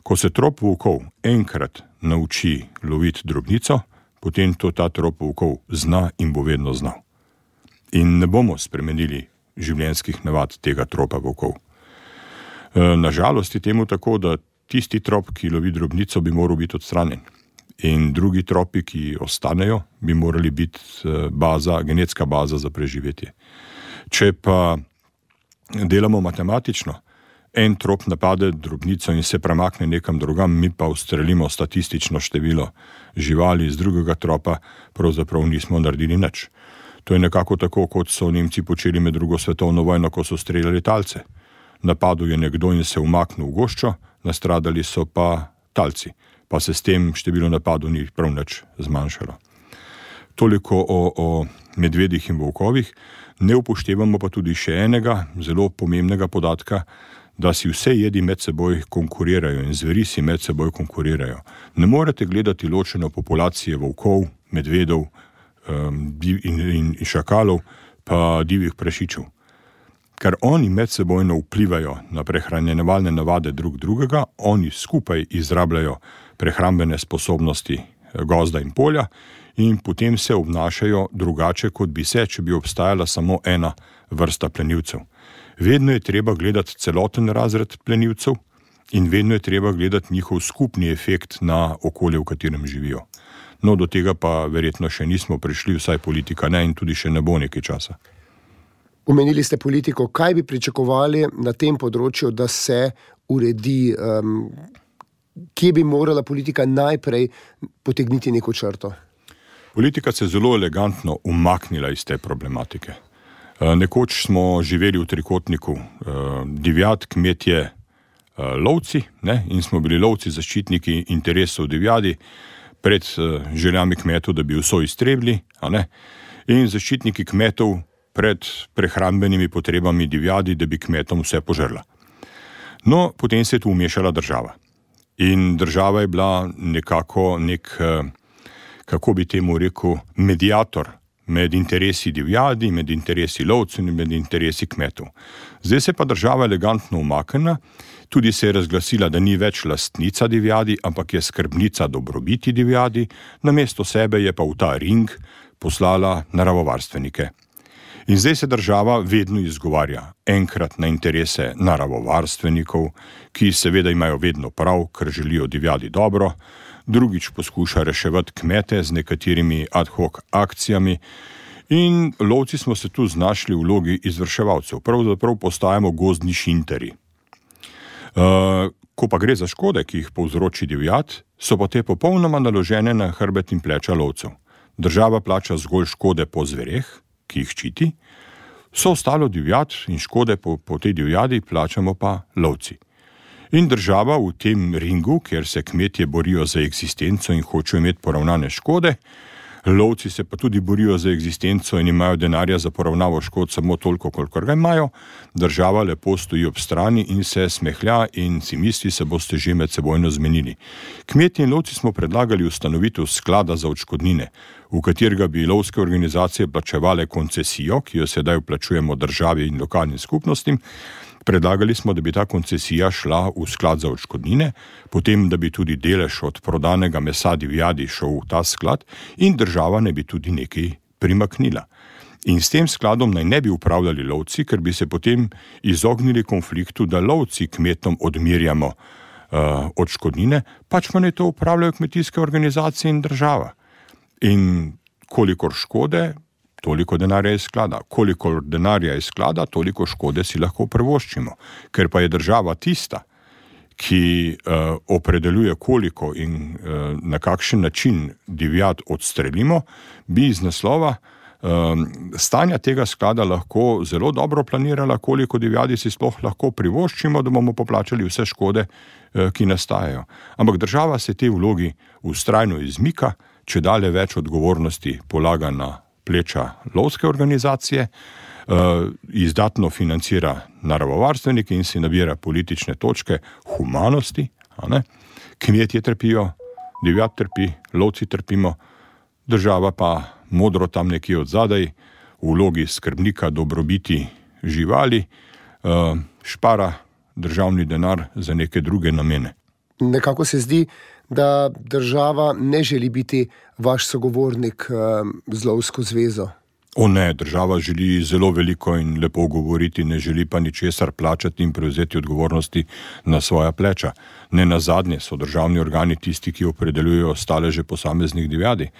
Ko se trop volkov enkrat nauči loviti drobnico, potem to ta trop volkov zna in bo vedno znal. In ne bomo spremenili življenjskih navad tega tropa volkov. Nažalost je temu tako, da tisti trop, ki lovi drobnico, bi moral biti odstranjen. In drugi tropi, ki ostanejo, bi morali biti baza, genetska baza za preživetje. Če pa delamo matematično, en trop napade drobnico in se premakne nekam drugam, mi pa ustrelimo statistično število živali iz drugega tropa, pravzaprav nismo naredili nič. To je nekako tako, kot so Nemci počeli med drugo svetovno vojno, ko so streljali talce. Napadel je nekdo in se umaknil v goščo, nastradali so pa talci. Pa se s tem število napadov ni prav nič zmanjšalo. Toliko o, o medvedih in volkovih, ne upoštevamo pa tudi še enega zelo pomembnega podatka, da si vse jedi med seboj konkurirajo in zveri si med seboj konkurirajo. Ne morete gledati ločeno populacije volkov, medvedov um, in, in, in šakalov, pa divjih prašičev. Ker oni med sebojno vplivajo na prehranjevalne navade drug drugega, oni skupaj izrabljajo prehrambene sposobnosti gozda in polja in potem se obnašajo drugače, kot bi se, če bi obstajala samo ena vrsta plenilcev. Vedno je treba gledati celoten razred plenilcev in vedno je treba gledati njihov skupni efekt na okolje, v katerem živijo. No, do tega pa verjetno še nismo prišli, vsaj politika ne in tudi še ne bo nekaj časa. Omenili ste politiko, kaj bi pričakovali na tem področju, da se uredi, um, kje bi morala politika najprej potegniti neko črto? Politika se je zelo elegantno umaknila iz te problematike. Nekoč smo živeli v trikotniku divjad, kmetje, lovci, ne? In smo bili lovci zaščitniki interesov divjadi pred željami kmetov, da bi vso iztrebili, a ne? In zaščitniki kmetov pred prehrambenimi potrebami divjadi, da bi kmetom vse požrla. No, potem se je tu umešala država. In država je bila nekako nek, kako bi temu rekel, mediator med interesi divjadi, med interesi lovcev in med interesi kmetov. Zdaj se pa država elegantno umaknila, tudi se je razglasila, da ni več lastnica divjadi, ampak je skrbnica dobrobiti divjadi, namesto sebe je pa v ta ring poslala naravovarstvenike. In zdaj se država vedno izgovarja enkrat na interese naravovarstvenikov, ki seveda imajo vedno prav, ker želijo divjadi dobro, drugič poskuša reševati kmete z nekaterimi ad hoc akcijami in lovci smo se tu znašli v vlogi izvrševalcev, pravzaprav postajamo gozdni šinterji. Uh, ko pa gre za škode, ki jih povzroči divjad, so pa te popolnoma naložene na hrbet in pleča lovcev. Država plača zgolj škode po zvereh, ki jih ščiti, so ostalo divjad in škode po, po tej divjadi plačamo pa lovci. In država v tem ringu, kjer se kmetje borijo za eksistenco in hočejo imeti poravnane škode, lovci se pa tudi borijo za eksistenco in imajo denarja za poravnavo škod samo toliko, kolikor ga imajo, država lepo stoji ob strani in se smehlja in si misli, se boste že med sebojno zmenili. Kmetje in lovci smo predlagali ustanovitev sklada za odškodnine, v katerega bi lovske organizacije plačevale koncesijo, ki jo sedaj vplačujemo državi in lokalnim skupnostim. Predlagali smo, da bi ta koncesija šla v sklad za odškodnine, potem, da bi tudi delež od prodanega mesa divjadi šel v ta sklad in država ne bi tudi nekaj primaknila. In s tem skladom naj ne bi upravljali lovci, ker bi se potem izognili konfliktu, da lovci kmetom odmirjamo uh, odškodnine, pač pa naj to upravljajo kmetijske organizacije in država. In kolikor škode, toliko denarja iz sklada. Koliko denarja iz sklada, toliko škode si lahko privoščimo. Ker pa je država tista, ki uh, opredeljuje koliko in uh, na kakšen način divjad odstrelimo, bi iz naslova uh, stanja tega sklada lahko zelo dobro planirala, koliko divjadi si sploh lahko privoščimo, da bomo poplačali vse škode, uh, ki nastajajo. Ampak država se te vlogi vztrajno izmika, če dalje več odgovornosti polaga na pleča lovske organizacije, uh, izdatno financira naravovarstvenike in si nabira politične točke humanosti, a ne? Kmetje trpijo, divjad trpi, lovci trpimo, država pa modro tam nekje od zadaj, v vlogi skrbnika dobrobiti živali, uh, špara državni denar za neke druge namene. Nekako se zdi, da država ne želi biti vaš sogovornik z lovsko zvezo. O ne, država želi zelo veliko in lepo govoriti, ne želi pa ničesar plačati in prevzeti odgovornosti na svoja pleča. Ne nazadnje so državni organi tisti, ki opredeljujejo staleže posameznih divjadi.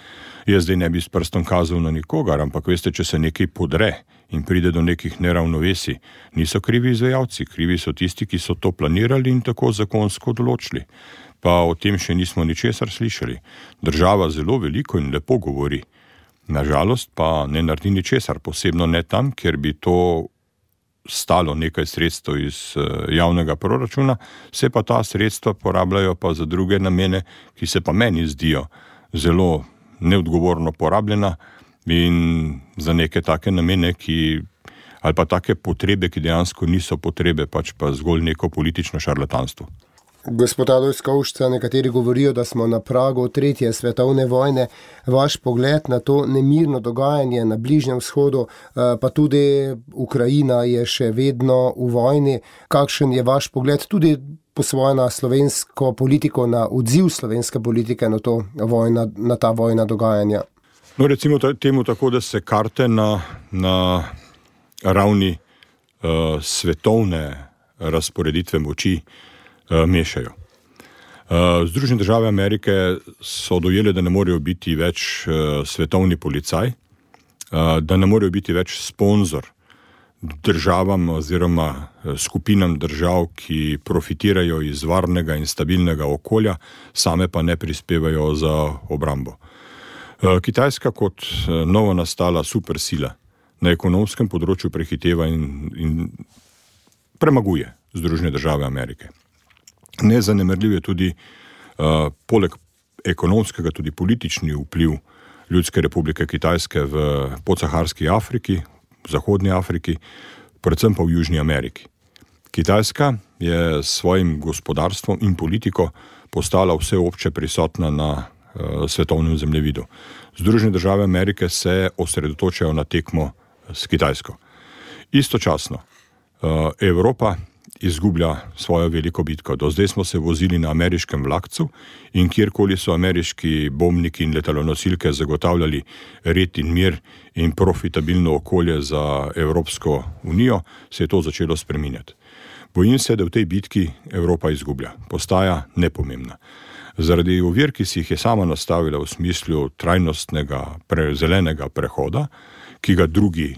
Jaz zdaj ne bi s prstom kazal na nikogar, ampak veste, če se nekaj podre in pride do nekih neravnovesij, niso krivi izvajalci, krivi so tisti, ki so to planirali in tako zakonsko določili. Pa o tem še nismo ničesar slišali. Država zelo veliko in lepo govori. Nažalost pa ne naredi ničesar, posebno ne tam, kjer bi to stalo nekaj sredstev iz javnega proračuna, se pa ta sredstva porabljajo pa za druge namene, ki se pa meni zdijo zelo neodgovorno porabljena in za neke take namene, ki, ali pa take potrebe, ki dejansko niso potrebe, pač pa zgolj neko politično šarlatanstvo. Gospod Alojz Kovšca, nekateri govorijo, da smo na pragu tretje svetovne vojne. Vaš pogled na to nemirno dogajanje na Bližnjem vzhodu, pa tudi Ukrajina je še vedno v vojni. Kakšen je vaš pogled tudi po svoje na slovensko politiko, na odziv slovenske politike na, to vojna, na ta vojna dogajanja? No, recimo temu tako, da se karte na, na ravni uh, svetovne razporeditve moči mešajo. Združene države Amerike so dojele, da ne morejo biti več svetovni policaj, da ne morejo biti več sponzor državam oziroma skupinam držav, ki profitirajo iz varnega in stabilnega okolja, same pa ne prispevajo za obrambo. Kitajska kot novo nastala supersila na ekonomskem področju prehiteva in, in premaguje Združene države Amerike. Nezanemarljiv je tudi uh, poleg ekonomskega tudi politični vpliv Ljudske republike Kitajske v podsaharski Afriki, v zahodni Afriki, predvsem pa v Južni Ameriki. Kitajska je s svojim gospodarstvom in politiko postala vseobče prisotna na uh, svetovnem zemljevidu. Združene države Amerike se osredotočajo na tekmo s Kitajsko. Istočasno uh, Evropa izgublja svojo veliko bitko. Do zdaj smo se vozili na ameriškem vlakcu in kjerkoli so ameriški bombniki in letalonosilke zagotavljali red in mir in profitabilno okolje za Evropsko unijo, se je to začelo spreminjati. Bojim se, da v tej bitki Evropa izgublja, postaja nepomembna. Zaradi ovir, ki si jih je sama nastavila v smislu trajnostnega, pre, zelenega prehoda, ki ga drugi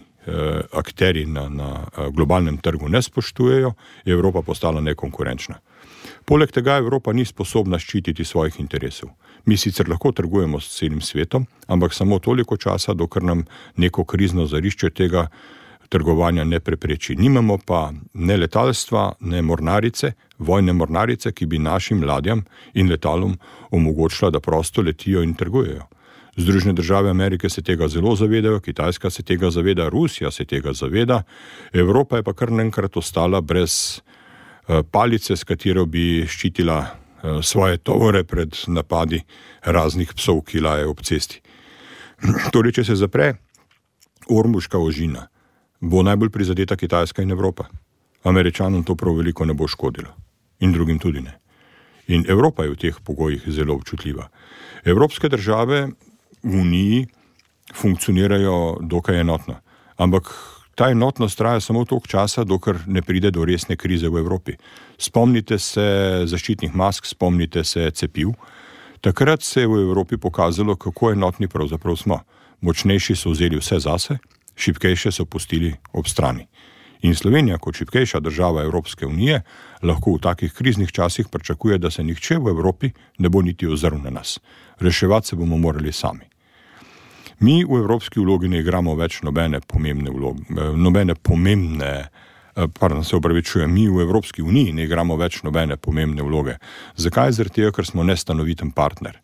akteri na, na globalnem trgu ne spoštujejo, je Evropa postala nekonkurenčna. Poleg tega Evropa ni sposobna ščititi svojih interesov. Mi sicer lahko trgujemo s celim svetom, ampak samo toliko časa, dokler nam neko krizno zarišče tega trgovanja ne prepreči. Nimamo pa ne letalstva, ne mornarice, vojne mornarice, ki bi našim ladjam in letalom omogočila, da prosto letijo in trgujejo. Združene države Amerike se tega zelo zavedajo, Kitajska se tega zaveda, Rusija se tega zaveda, Evropa je pa kar naenkrat ostala brez uh, palice, s katero bi ščitila uh, svoje tovore pred napadi raznih psov, ki lajejo ob cesti. Torej, če se zapre Ormuška ožina, bo najbolj prizadeta Kitajska in Evropa. Američanom to prav veliko ne bo škodilo. In drugim tudi ne. In Evropa je v teh pogojih zelo občutljiva. Evropske države v Uniji funkcionirajo dokaj enotno. Ampak ta enotnost traja samo toliko časa, dokler ne pride do resne krize v Evropi. Spomnite se zaščitnih mask, spomnite se cepiv. Takrat se je v Evropi pokazalo, kako enotni pravzaprav smo. Močnejši so vzeli vse zase, šibkejše so pustili ob strani. In Slovenija, kot šibkejša država Evropske unije, lahko v takih kriznih časih pričakuje, da se nihče v Evropi ne bo niti ozrl na nas. Reševati se bomo morali sami. Mi v evropski vlogi ne igramo več nobene pomembne vloge, nobene pomembne, pardon, se opravičujem, mi v Evropski uniji ne igramo več nobene pomembne vloge. Zakaj? Zaradi tega, ker smo nestanoviten partner.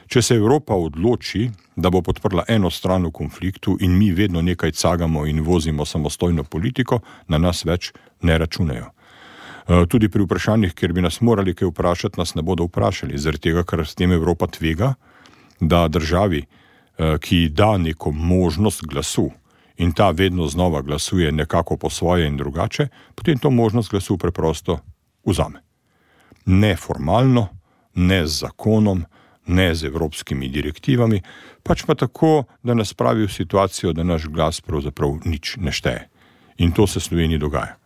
Če se Evropa odloči, da bo podprla eno stran v konfliktu in mi vedno nekaj cagamo in vozimo samostojno politiko, na nas več ne računajo. Tudi pri vprašanjih, kjer bi nas morali kaj vprašati, nas ne bodo vprašali, zaradi tega, ker s tem Evropa tvega, da državi, ki da neko možnost glasu in ta vedno znova glasuje nekako po svoje in drugače, potem to možnost glasu preprosto vzame. Ne formalno, ne z zakonom, ne z evropskimi direktivami, pač pa tako, da nas spravi v situacijo, da naš glas pravzaprav nič ne šteje. In to se v Sloveniji dogaja.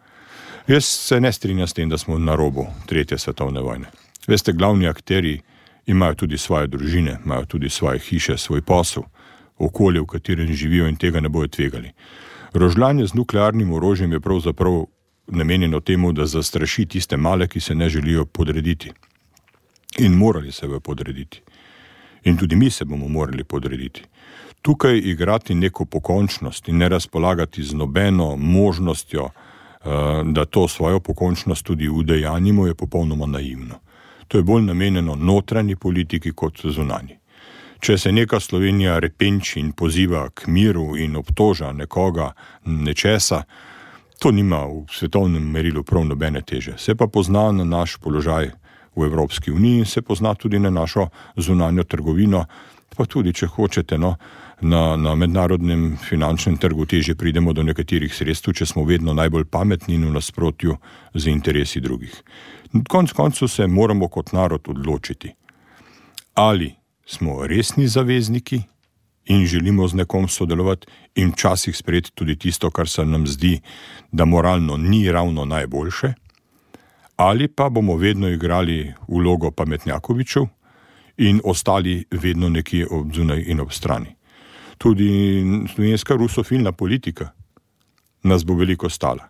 Jaz se ne strinjam s tem, da smo na robu tretje svetovne vojne. Veste, glavni akteri imajo tudi svoje družine, imajo tudi svoje hiše, svoj posel, okolje, v katerem živijo in tega ne bojo tvegali. Rožljanje z nuklearnim orožjem je pravzaprav namenjeno temu, da zastraši tiste male, ki se ne želijo podrediti. In morali se bojo podrediti. In tudi mi se bomo morali podrediti. Tukaj igrati neko pokončnost in ne razpolagati z nobeno možnostjo, da to svojo pokončnost tudi udejanjimo, je popolnoma naivno. To je bolj namenjeno notranji politiki kot zunanji. Če se neka Slovenija repenči in poziva k miru in obtoža nekoga nečesa, to nima v svetovnem merilu prav nobene teže. Se pa pozna na naš položaj v Evropski uniji in se pozna tudi na našo zunanjo trgovino, pa tudi, če hočete, no, na, na mednarodnem finančnem trgu teže pridemo do nekaterih sredstev, če smo vedno najbolj pametni in v nasprotju z interesi drugih. Konec koncev se moramo kot narod odločiti, ali smo resni zavezniki in želimo z nekom sodelovati in včasih sprejeti tudi tisto, kar se nam zdi, da moralno ni ravno najboljše, ali pa bomo vedno igrali vlogo pametnjakovičev in ostali vedno nekje ob zunaj in ob strani. Tudi slovenska rusofilna politika nas bo veliko stala.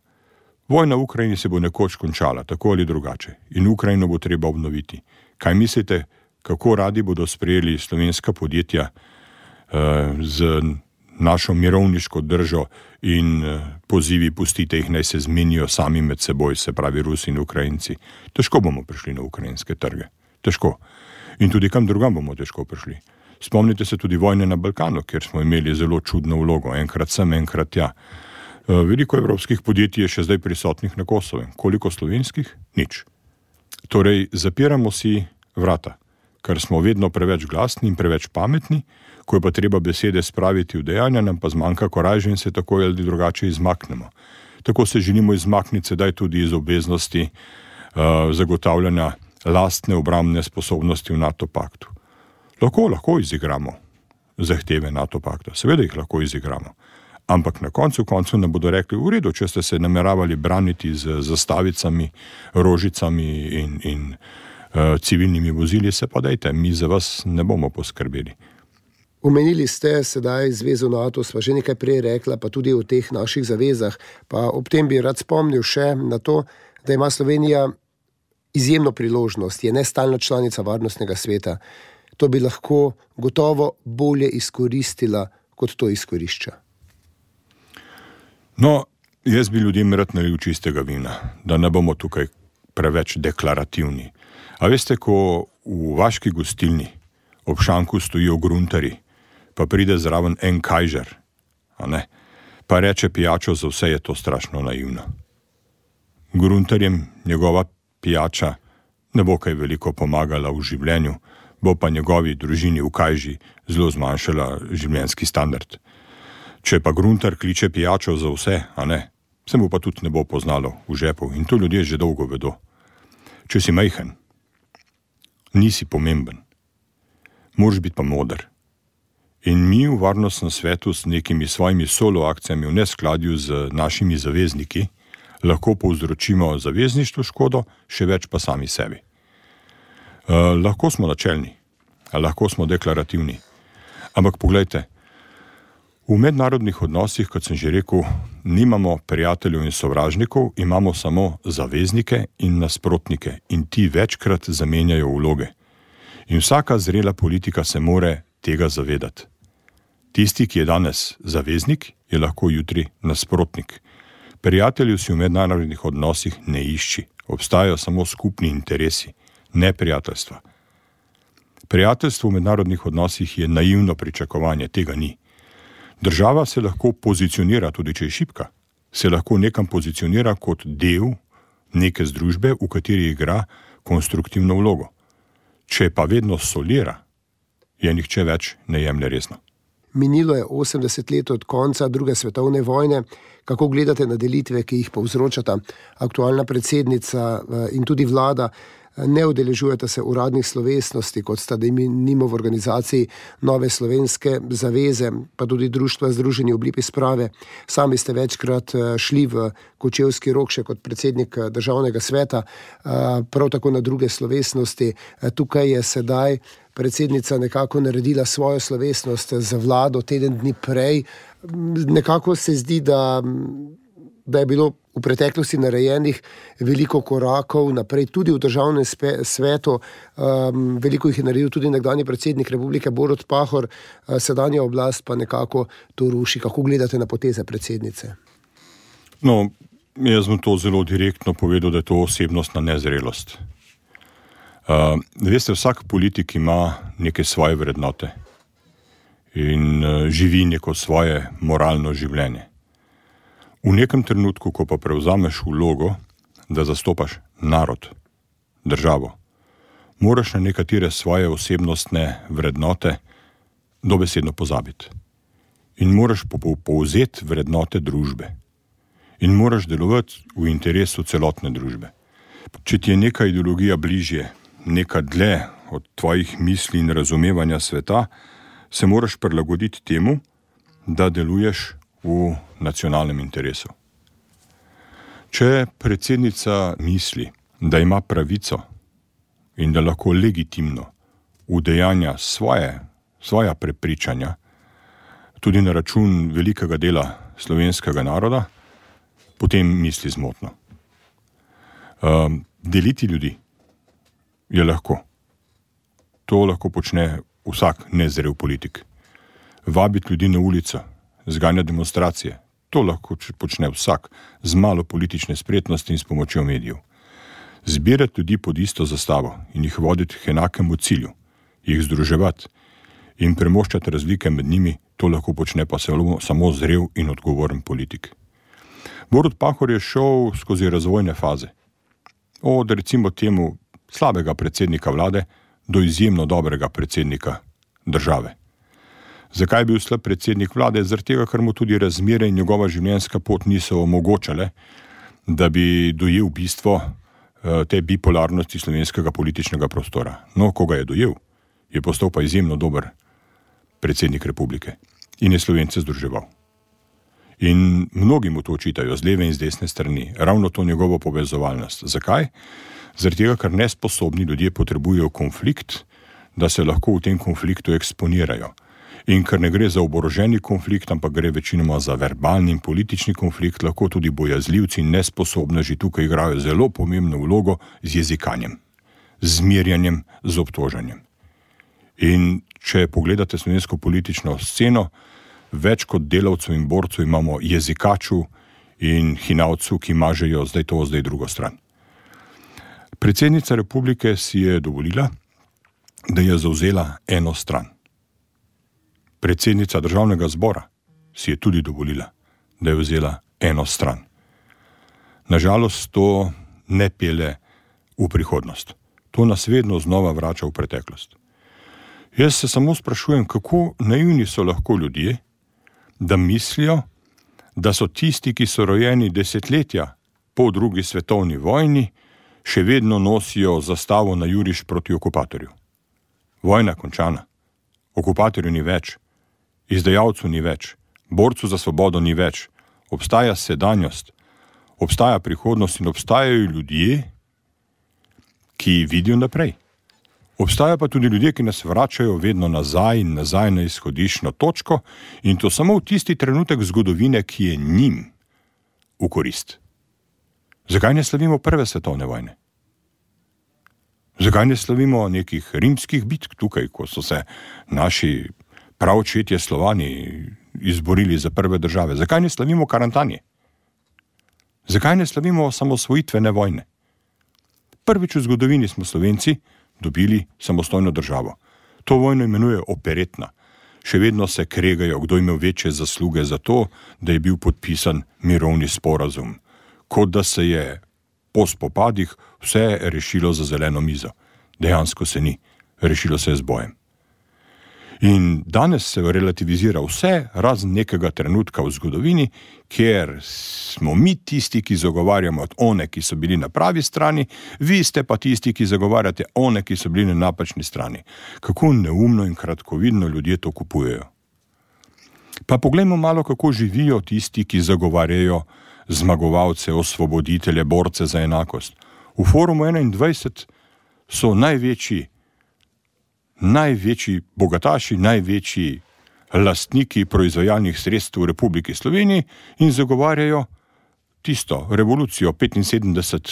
Vojna v Ukrajini se bo nekoč končala, tako ali drugače, in Ukrajino bo treba obnoviti. Kaj mislite, kako radi bodo sprejeli slovenska podjetja uh, z našo mirovniško držo in uh, pozivi pustite jih, naj se zmenijo sami med seboj, se pravi Rusi in Ukrajinci. Težko bomo prišli na ukrajinske trge. Težko. In tudi kam drugam bomo težko prišli. Spomnite se tudi vojne na Balkanu, kjer smo imeli zelo čudno vlogo, enkrat sem, enkrat tja. Veliko evropskih podjetij je še zdaj prisotnih na Kosovem. Koliko slovenskih? Nič. Torej, zapiramo si vrata, ker smo vedno preveč glasni in preveč pametni, ko je pa treba besede spraviti v dejanja, nam pa zmanjka korajže in se tako ali drugače izmaknemo. Tako se želimo izmakniti sedaj tudi iz obveznosti uh, zagotavljanja lastne obrambne sposobnosti v NATO paktu. Lahko, lahko izigramo zahteve NATO pakta, seveda jih lahko izigramo. Ampak na koncu koncu nam bodo rekli, v redu, če ste se nameravali braniti z zastavicami, rožicami in, in uh, civilnimi vozili, se pa dajte, mi za vas ne bomo poskrbeli. Omenili ste sedaj zvezo NATO, sva že nekaj prej rekla, pa tudi o teh naših zavezah. Pa ob tem bi rad spomnil še na to, da ima Slovenija izjemno priložnost, je nestalna članica Varnostnega sveta. To bi lahko gotovo bolje izkoristila, kot to izkorišča. No, jaz bi ljudem rad nalil čistega vina, da ne bomo tukaj preveč deklarativni. A veste, ko v vaški gostilni ob šanku stojijo gruntari, pa pride zraven en kajžer, a ne, pa reče pijačo za vse, je to strašno naivno. Gruntarjem njegova pijača ne bo kaj veliko pomagala v življenju, bo pa njegovi družini v kajži zelo zmanjšala življenjski standard. Če pa gruntar kliče pijačo za vse, a ne, se mu pa tudi ne bo poznalo v žepu in to ljudje že dolgo vedo. Če si majhen, nisi pomemben, moraš biti pa moder. In mi v Varnostnem svetu s nekimi svojimi solo akcijami v neskladju z našimi zavezniki lahko povzročimo zavezništvu škodo, še več pa sami sebi. Uh, lahko smo načelni, lahko smo deklarativni, ampak poglejte, v mednarodnih odnosih, kot sem že rekel, nimamo prijateljev in sovražnikov, imamo samo zaveznike in nasprotnike in ti večkrat zamenjajo vloge. In vsaka zrela politika se more tega zavedati. Tisti, ki je danes zaveznik, je lahko jutri nasprotnik. Prijatelju si v mednarodnih odnosih ne išči, obstajajo samo skupni interesi, ne prijateljstva. Prijateljstvo v mednarodnih odnosih je naivno pričakovanje, tega ni. Država se lahko pozicionira, tudi če je šibka, se lahko nekam pozicionira kot del neke združbe, v kateri igra konstruktivno vlogo. Če pa vedno solira, je nihče več ne jemlje resno. Minilo je osemdeset let od konca druge svetovne vojne. Kako gledate na delitve, ki jih povzročata aktualna predsednica in tudi vlada? Ne udeležujete se uradnih slovesnosti, kot sta denimo v organizaciji Nove slovenske zaveze, pa tudi Društva združenih v obliki sprave. Sami ste večkrat šli v Kočevski Rog še kot predsednik državnega sveta, prav tako na druge slovesnosti. Tukaj je sedaj predsednica nekako naredila svojo slovesnost za vlado teden dni prej. Nekako se zdi, da, da je bilo v preteklosti narejenih veliko korakov naprej, tudi v državnem svetu. Um, veliko jih je naredil tudi nekdanji predsednik republike Borut Pahor, sedanja oblast pa nekako to ruši. Kako gledate na poteze predsednice? No, jaz bom to zelo direktno povedal, da je to osebnostna nezrelost. Uh, veste, vsak politik ima neke svoje vrednote in uh, živi neko svoje moralno življenje. V nekem trenutku, ko pa prevzameš vlogo, da zastopaš narod, državo, moraš na nekatere svoje osebnostne vrednote dobesedno pozabiti. In moraš povzeti vrednote družbe. In moraš delovati v interesu celotne družbe. Če ti je neka ideologija bližje, neka dlje od tvojih misli in razumevanja sveta, se moraš prilagoditi temu, da deluješ v nacionalnem interesu. Če predsednica misli, da ima pravico in da lahko legitimno udejanja svoje, svoja prepričanja tudi na račun velikega dela slovenskega naroda, potem misli zmotno. Um, deliti ljudi je lahko. To lahko počne vsak nezrel politik. Vabiti ljudi na ulico, zganja demonstracije, to lahko počne vsak z malo politične spretnosti in s pomočjo medijev. Zbirati ljudi pod isto zastavo in jih voditi k enakemu cilju, jih združevati in premoščati razlike med njimi, to lahko počne pa samo zrel in odgovoren politik. Borut Pahor je šel skozi razvojne faze. Od recimo temu slabega predsednika vlade do izjemno dobrega predsednika države. Zakaj je bil slab predsednik vlade? Zaradi tega, ker mu tudi razmere in njegova življenjska pot niso omogočale, da bi dojel bistvo te bipolarnosti slovenskega političnega prostora. No, ko ga je dojel, je postal pa izjemno dober predsednik republike in je Slovence združeval. In mnogi mu to očitajo z leve in z desne strani, ravno to njegovo povezovalnost. Zakaj? Zaradi tega, ker nesposobni ljudje potrebujejo konflikt, da se lahko v tem konfliktu eksponirajo. In ker ne gre za oboroženi konflikt, ampak gre večinoma za verbalni in politični konflikt, lahko tudi bojazljivci in nesposobneži tukaj igrajo zelo pomembno vlogo z jezikanjem, z zmerjanjem, z obtožanjem. In če pogledate slovensko politično sceno, več kot delavcev in borcev imamo jezikaču in hinavcu, ki mažejo zdaj to, zdaj drugo stran. Predsednica republike si je dovolila, da je zavzela eno stran. Predsednica državnega zbora si je tudi dovolila, da je vzela eno stran. Nažalost, to ne pelje v prihodnost. To nas vedno znova vrača v preteklost. Jaz se samo sprašujem, kako naivni so lahko ljudje, da mislijo, da so tisti, ki so rojeni desetletja po drugi svetovni vojni, še vedno nosijo zastavo na juriš proti okupatorju. Vojna končana. Okupatorju ni več. Izdajalcu ni več. Borcu za svobodo ni več. Obstaja sedanjost. Obstaja prihodnost in obstajajo ljudje, ki vidijo naprej. Obstajajo pa tudi ljudje, ki nas vračajo vedno nazaj in nazaj na izhodiščno točko in to samo v tisti trenutek zgodovine, ki je njim v korist. Zakaj ne slavimo prve svetovne vojne? Zakaj ne slavimo nekih rimskih bitk tukaj, ko so se naši praočetje Slovani izborili za prve države? Zakaj ne slavimo Karantanije? Zakaj ne slavimo samosvojitvene vojne? Prvič v zgodovini smo Slovenci dobili samostojno državo. To vojno imenuje operetna. Še vedno se kregajo, kdo imel večje zasluge za to, da je bil podpisan mirovni sporazum. Kot da se je po spopadih vse rešilo za zeleno mizo. Dejansko se ni. Rešilo se je z bojem. In danes se relativizira vse, razen nekega trenutka v zgodovini, kjer smo mi tisti, ki zagovarjamo one, ki so bili na pravi strani, vi ste pa tisti, ki zagovarjate one, ki so bili na napačni strani. Kako neumno in kratkovidno ljudje to kupujejo. Pa poglejmo malo, kako živijo tisti, ki zagovarjajo zmagovalce, osvoboditelje, borce za enakost. V Forumu enaindvajset so največji največji bogataši, največji lastniki proizvajalnih sredstev v Republiki Sloveniji in zagovarjajo tisto revolucijo petinsedemdeset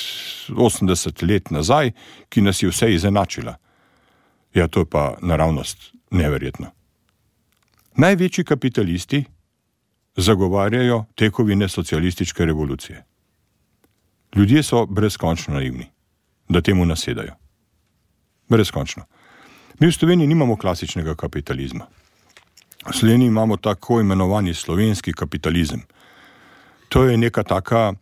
osemdeset let nazaj, ki nas je vse izenačila. Ja, to je pa naravnost neverjetno. Največji kapitalisti zagovarjajo tekovine socialističke revolucije. Ljudje so brezkončno naivni, da temu nasedajo. Brezkončno. Mi v Sloveniji nimamo klasičnega kapitalizma. V Sloveniji imamo tako imenovani slovenski kapitalizem. To je neka taka,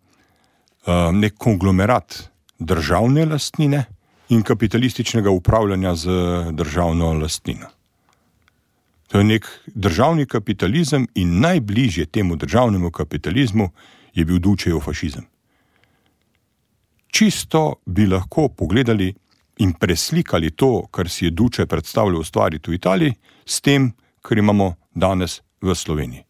nek konglomerat državne lastnine in kapitalističnega upravljanja z državno lastnino. To je nek državni kapitalizem in najbližje temu državnemu kapitalizmu je bil Dučejev fašizem. Čisto bi lahko pogledali in preslikali to, kar si je Duče predstavljal ustvariti v Italiji, s tem, kar imamo danes v Sloveniji.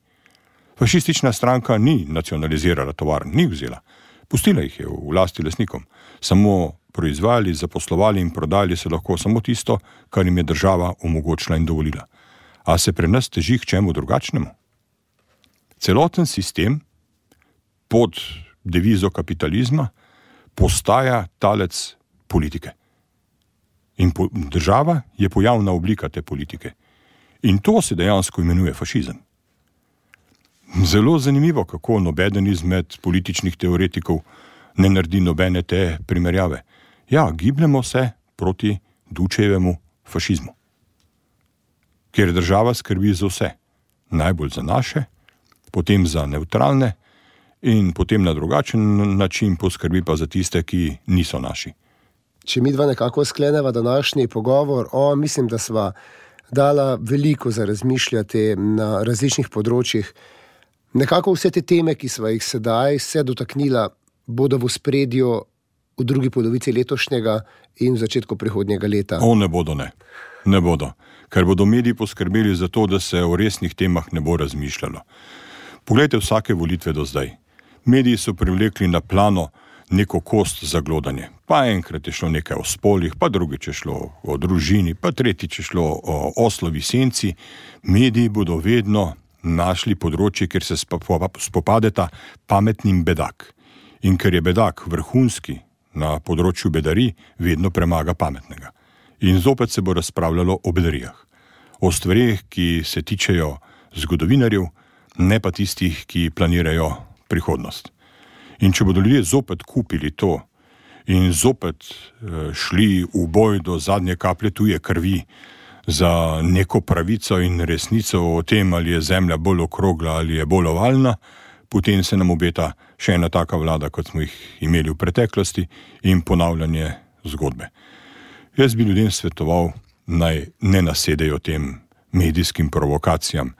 Fašistična stranka ni nacionalizirala tovarn, ni vzela. Pustila jih je v lasti lastnikom. Samo proizvajali, zaposlovali in prodajali se lahko samo tisto, kar jim je država omogočila in dovolila. A se pri nas teži k čemu drugačnemu? Celoten sistem pod devizo kapitalizma postaja talec politike. In po, država je pojavna oblika te politike. In to se dejansko imenuje fašizem. Zelo zanimivo, kako nobeden izmed političnih teoretikov ne naredi nobene te primerjave. Ja, gibljemo se proti Dučejevemu fašizmu. Ker država skrbi za vse. Najbolj za naše, potem za nevtralne in potem na drugačen način poskrbi pa za tiste, ki niso naši. Če mi dva nekako skleneva današnji pogovor, o, mislim, da sva dala veliko za razmišljati na različnih področjih. Nekako vse te teme, ki sva jih sedaj se dotaknila, bodo v ospredju v drugi polovici letošnjega in v začetku prihodnjega leta. O, ne bodo, ne. Ne bodo. Ker bodo mediji poskrbeli za to, da se o resnih temah ne bo razmišljalo. Poglejte vsake volitve do zdaj. Mediji so privlekli na plano neko kost za glodanje. Pa enkrat je šlo nekaj o spolih, pa drugič je šlo o družini, pa tretjič je šlo o oslovi senci. Mediji bodo vedno našli področje, kjer se spopadeta pametnim bedak. In ker je bedak vrhunski na področju bedarij, vedno premaga pametnega. In zopet se bo razpravljalo o bedarijah. O stvareh, ki se tičejo zgodovinarjev, ne pa tistih, ki planirajo prihodnost. In če bodo ljudje zopet kupili to in zopet e, šli v boj do zadnje kaplje tuje krvi za neko pravico in resnico o tem, ali je zemlja bolj okrogla ali je bolj ovalna, potem se nam obeta še ena taka vlada, kot smo jih imeli v preteklosti, in ponavljanje zgodbe. Jaz bi ljudem svetoval, naj ne nasedejo tem medijskim provokacijam.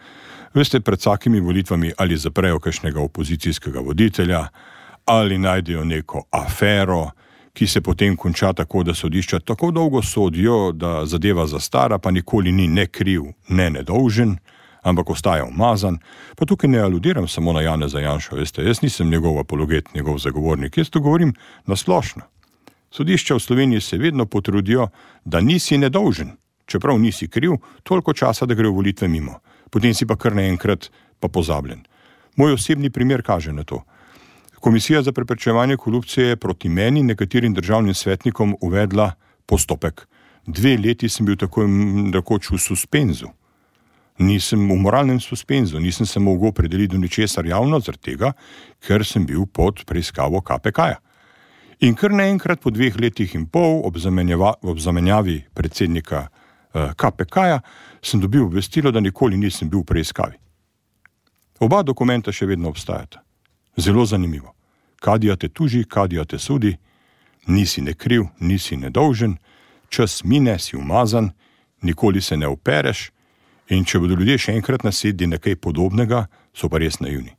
Veste, pred vsakimi volitvami ali zaprejo kakšnega opozicijskega voditelja, ali najdejo neko afero, ki se potem konča tako, da sodišča tako dolgo sodijo, da zadeva zastara, pa nikoli ni ne kriv, ne nedolžen, ampak ostaja umazan. Pa tukaj ne aludiram samo na Janeza Janšo, veste, jaz nisem njegov apologet, njegov zagovornik, jaz to govorim na splošno. Sodišča v Sloveniji se vedno potrudijo, da nisi nedolžen, čeprav nisi kriv, toliko časa, da gre v volitve mimo. Potem si pa kar naenkrat pa pozabljen. Moj osebni primer kaže na to. Komisija za preprečevanje korupcije je proti meni nekaterim državnim svetnikom uvedla postopek. Dve leti sem bil tako rekoč v suspenzu. Nisem v moralnem suspenzu, nisem se mogel opredeliti do ničesar javno, zaradi tega, ker sem bil pod preiskavo K P K-ja. In kar naenkrat po dveh letih in pol ob, ob zamenjavi predsednika eh, K P K-ja sem dobil obvestilo, da nikoli nisem bil v preiskavi. Oba dokumenta še vedno obstajata. Zelo zanimivo. Kadija te tuži, kadija te sudi, nisi nekriv, nisi nedolžen, čas mine, si umazan, nikoli se ne opereš in če bodo ljudje še enkrat nasedli na kaj podobnega, so pa res naivni.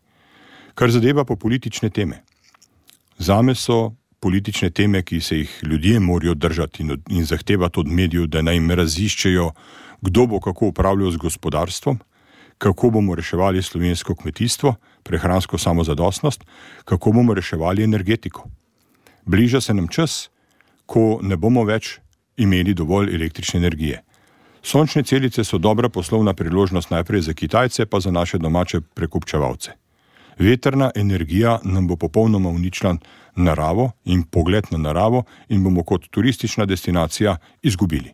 Kar zadeva po politične teme. Zame so politične teme, ki se jih ljudje morajo držati in, in zahtevati od medijev, da naj jim raziščejo, kdo bo kako upravljal z gospodarstvom, kako bomo reševali slovensko kmetijstvo, prehransko samozadostnost, kako bomo reševali energetiko. Bliža se nam čas, ko ne bomo več imeli dovolj električne energije. Sončne celice so dobra poslovna priložnost najprej za Kitajce, pa za naše domače prekupčevalce. Vetrna energija nam bo popolnoma uničila naravo in pogled na naravo in bomo kot turistična destinacija izgubili.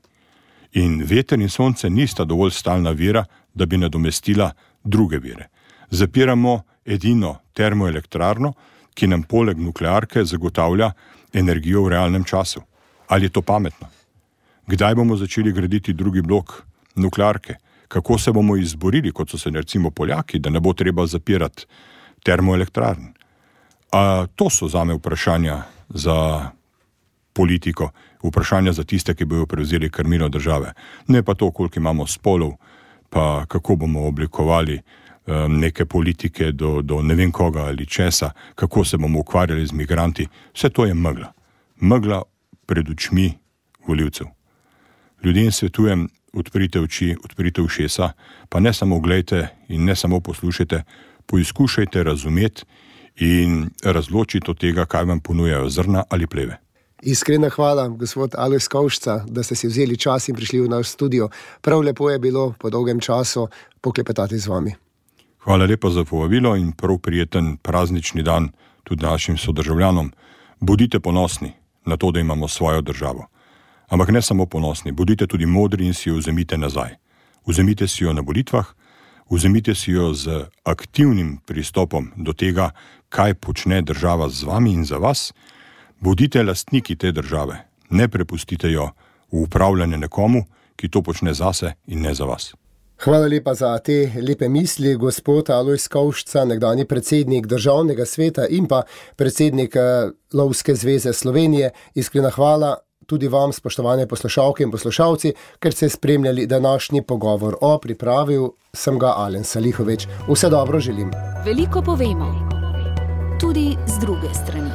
In veter in sonce nista dovolj stalna vira, da bi nadomestila druge vire. Zapiramo edino termoelektrarno, ki nam poleg nuklearke zagotavlja energijo v realnem času. Ali je to pametno? Kdaj bomo začeli graditi drugi blok nuklearke? Kako se bomo izborili, kot so se recimo Poljaki, da ne bo treba zapirati termoelektrarn? A to so zame vprašanja za politiko, vprašanja za tiste, ki bojo prevzeli krmilo države. Ne pa to, koliko imamo spolov, pa kako bomo oblikovali um, neke politike do, do ne vem koga ali česa, kako se bomo ukvarjali z migranti. Vse to je megla. Megla pred očmi volivcev. Ljudem svetujem, odprite oči, odprite ušesa, pa ne samo gledajte in ne samo poslušajte, poizkušajte razumeti in razločiti od tega, kaj vam ponujajo zrna ali pleve. Iskrena hvala, gospod Alojz Kovšca, da ste si vzeli čas in prišli v naš studio. Prav lepo je bilo po dolgem času poklepetati z vami. Hvala lepa za povabilo in prav prijeten praznični dan tudi našim sodržavljanom. Bodite ponosni na to, da imamo svojo državo. Ampak ne samo ponosni, bodite tudi modri in si jo vzemite nazaj. Vzemite si jo na volitvah, vzemite si jo z aktivnim pristopom do tega, kaj počne država z vami in za vas. Bodite lastniki te države, ne prepustite jo v upravljanje nekomu, ki to počne zase in ne za vas. Hvala lepa za te lepe misli, gospod Alojz Kovšca, nekdanji predsednik Državnega sveta in pa predsednik Lovske zveze Slovenije. Iskrena hvala tudi vam, spoštovane poslušalke in poslušalci, ker ste spremljali današnji pogovor. O pripravil sem ga Alen Salihovič. Vse dobro želim. Veliko povemo, tudi z druge strani.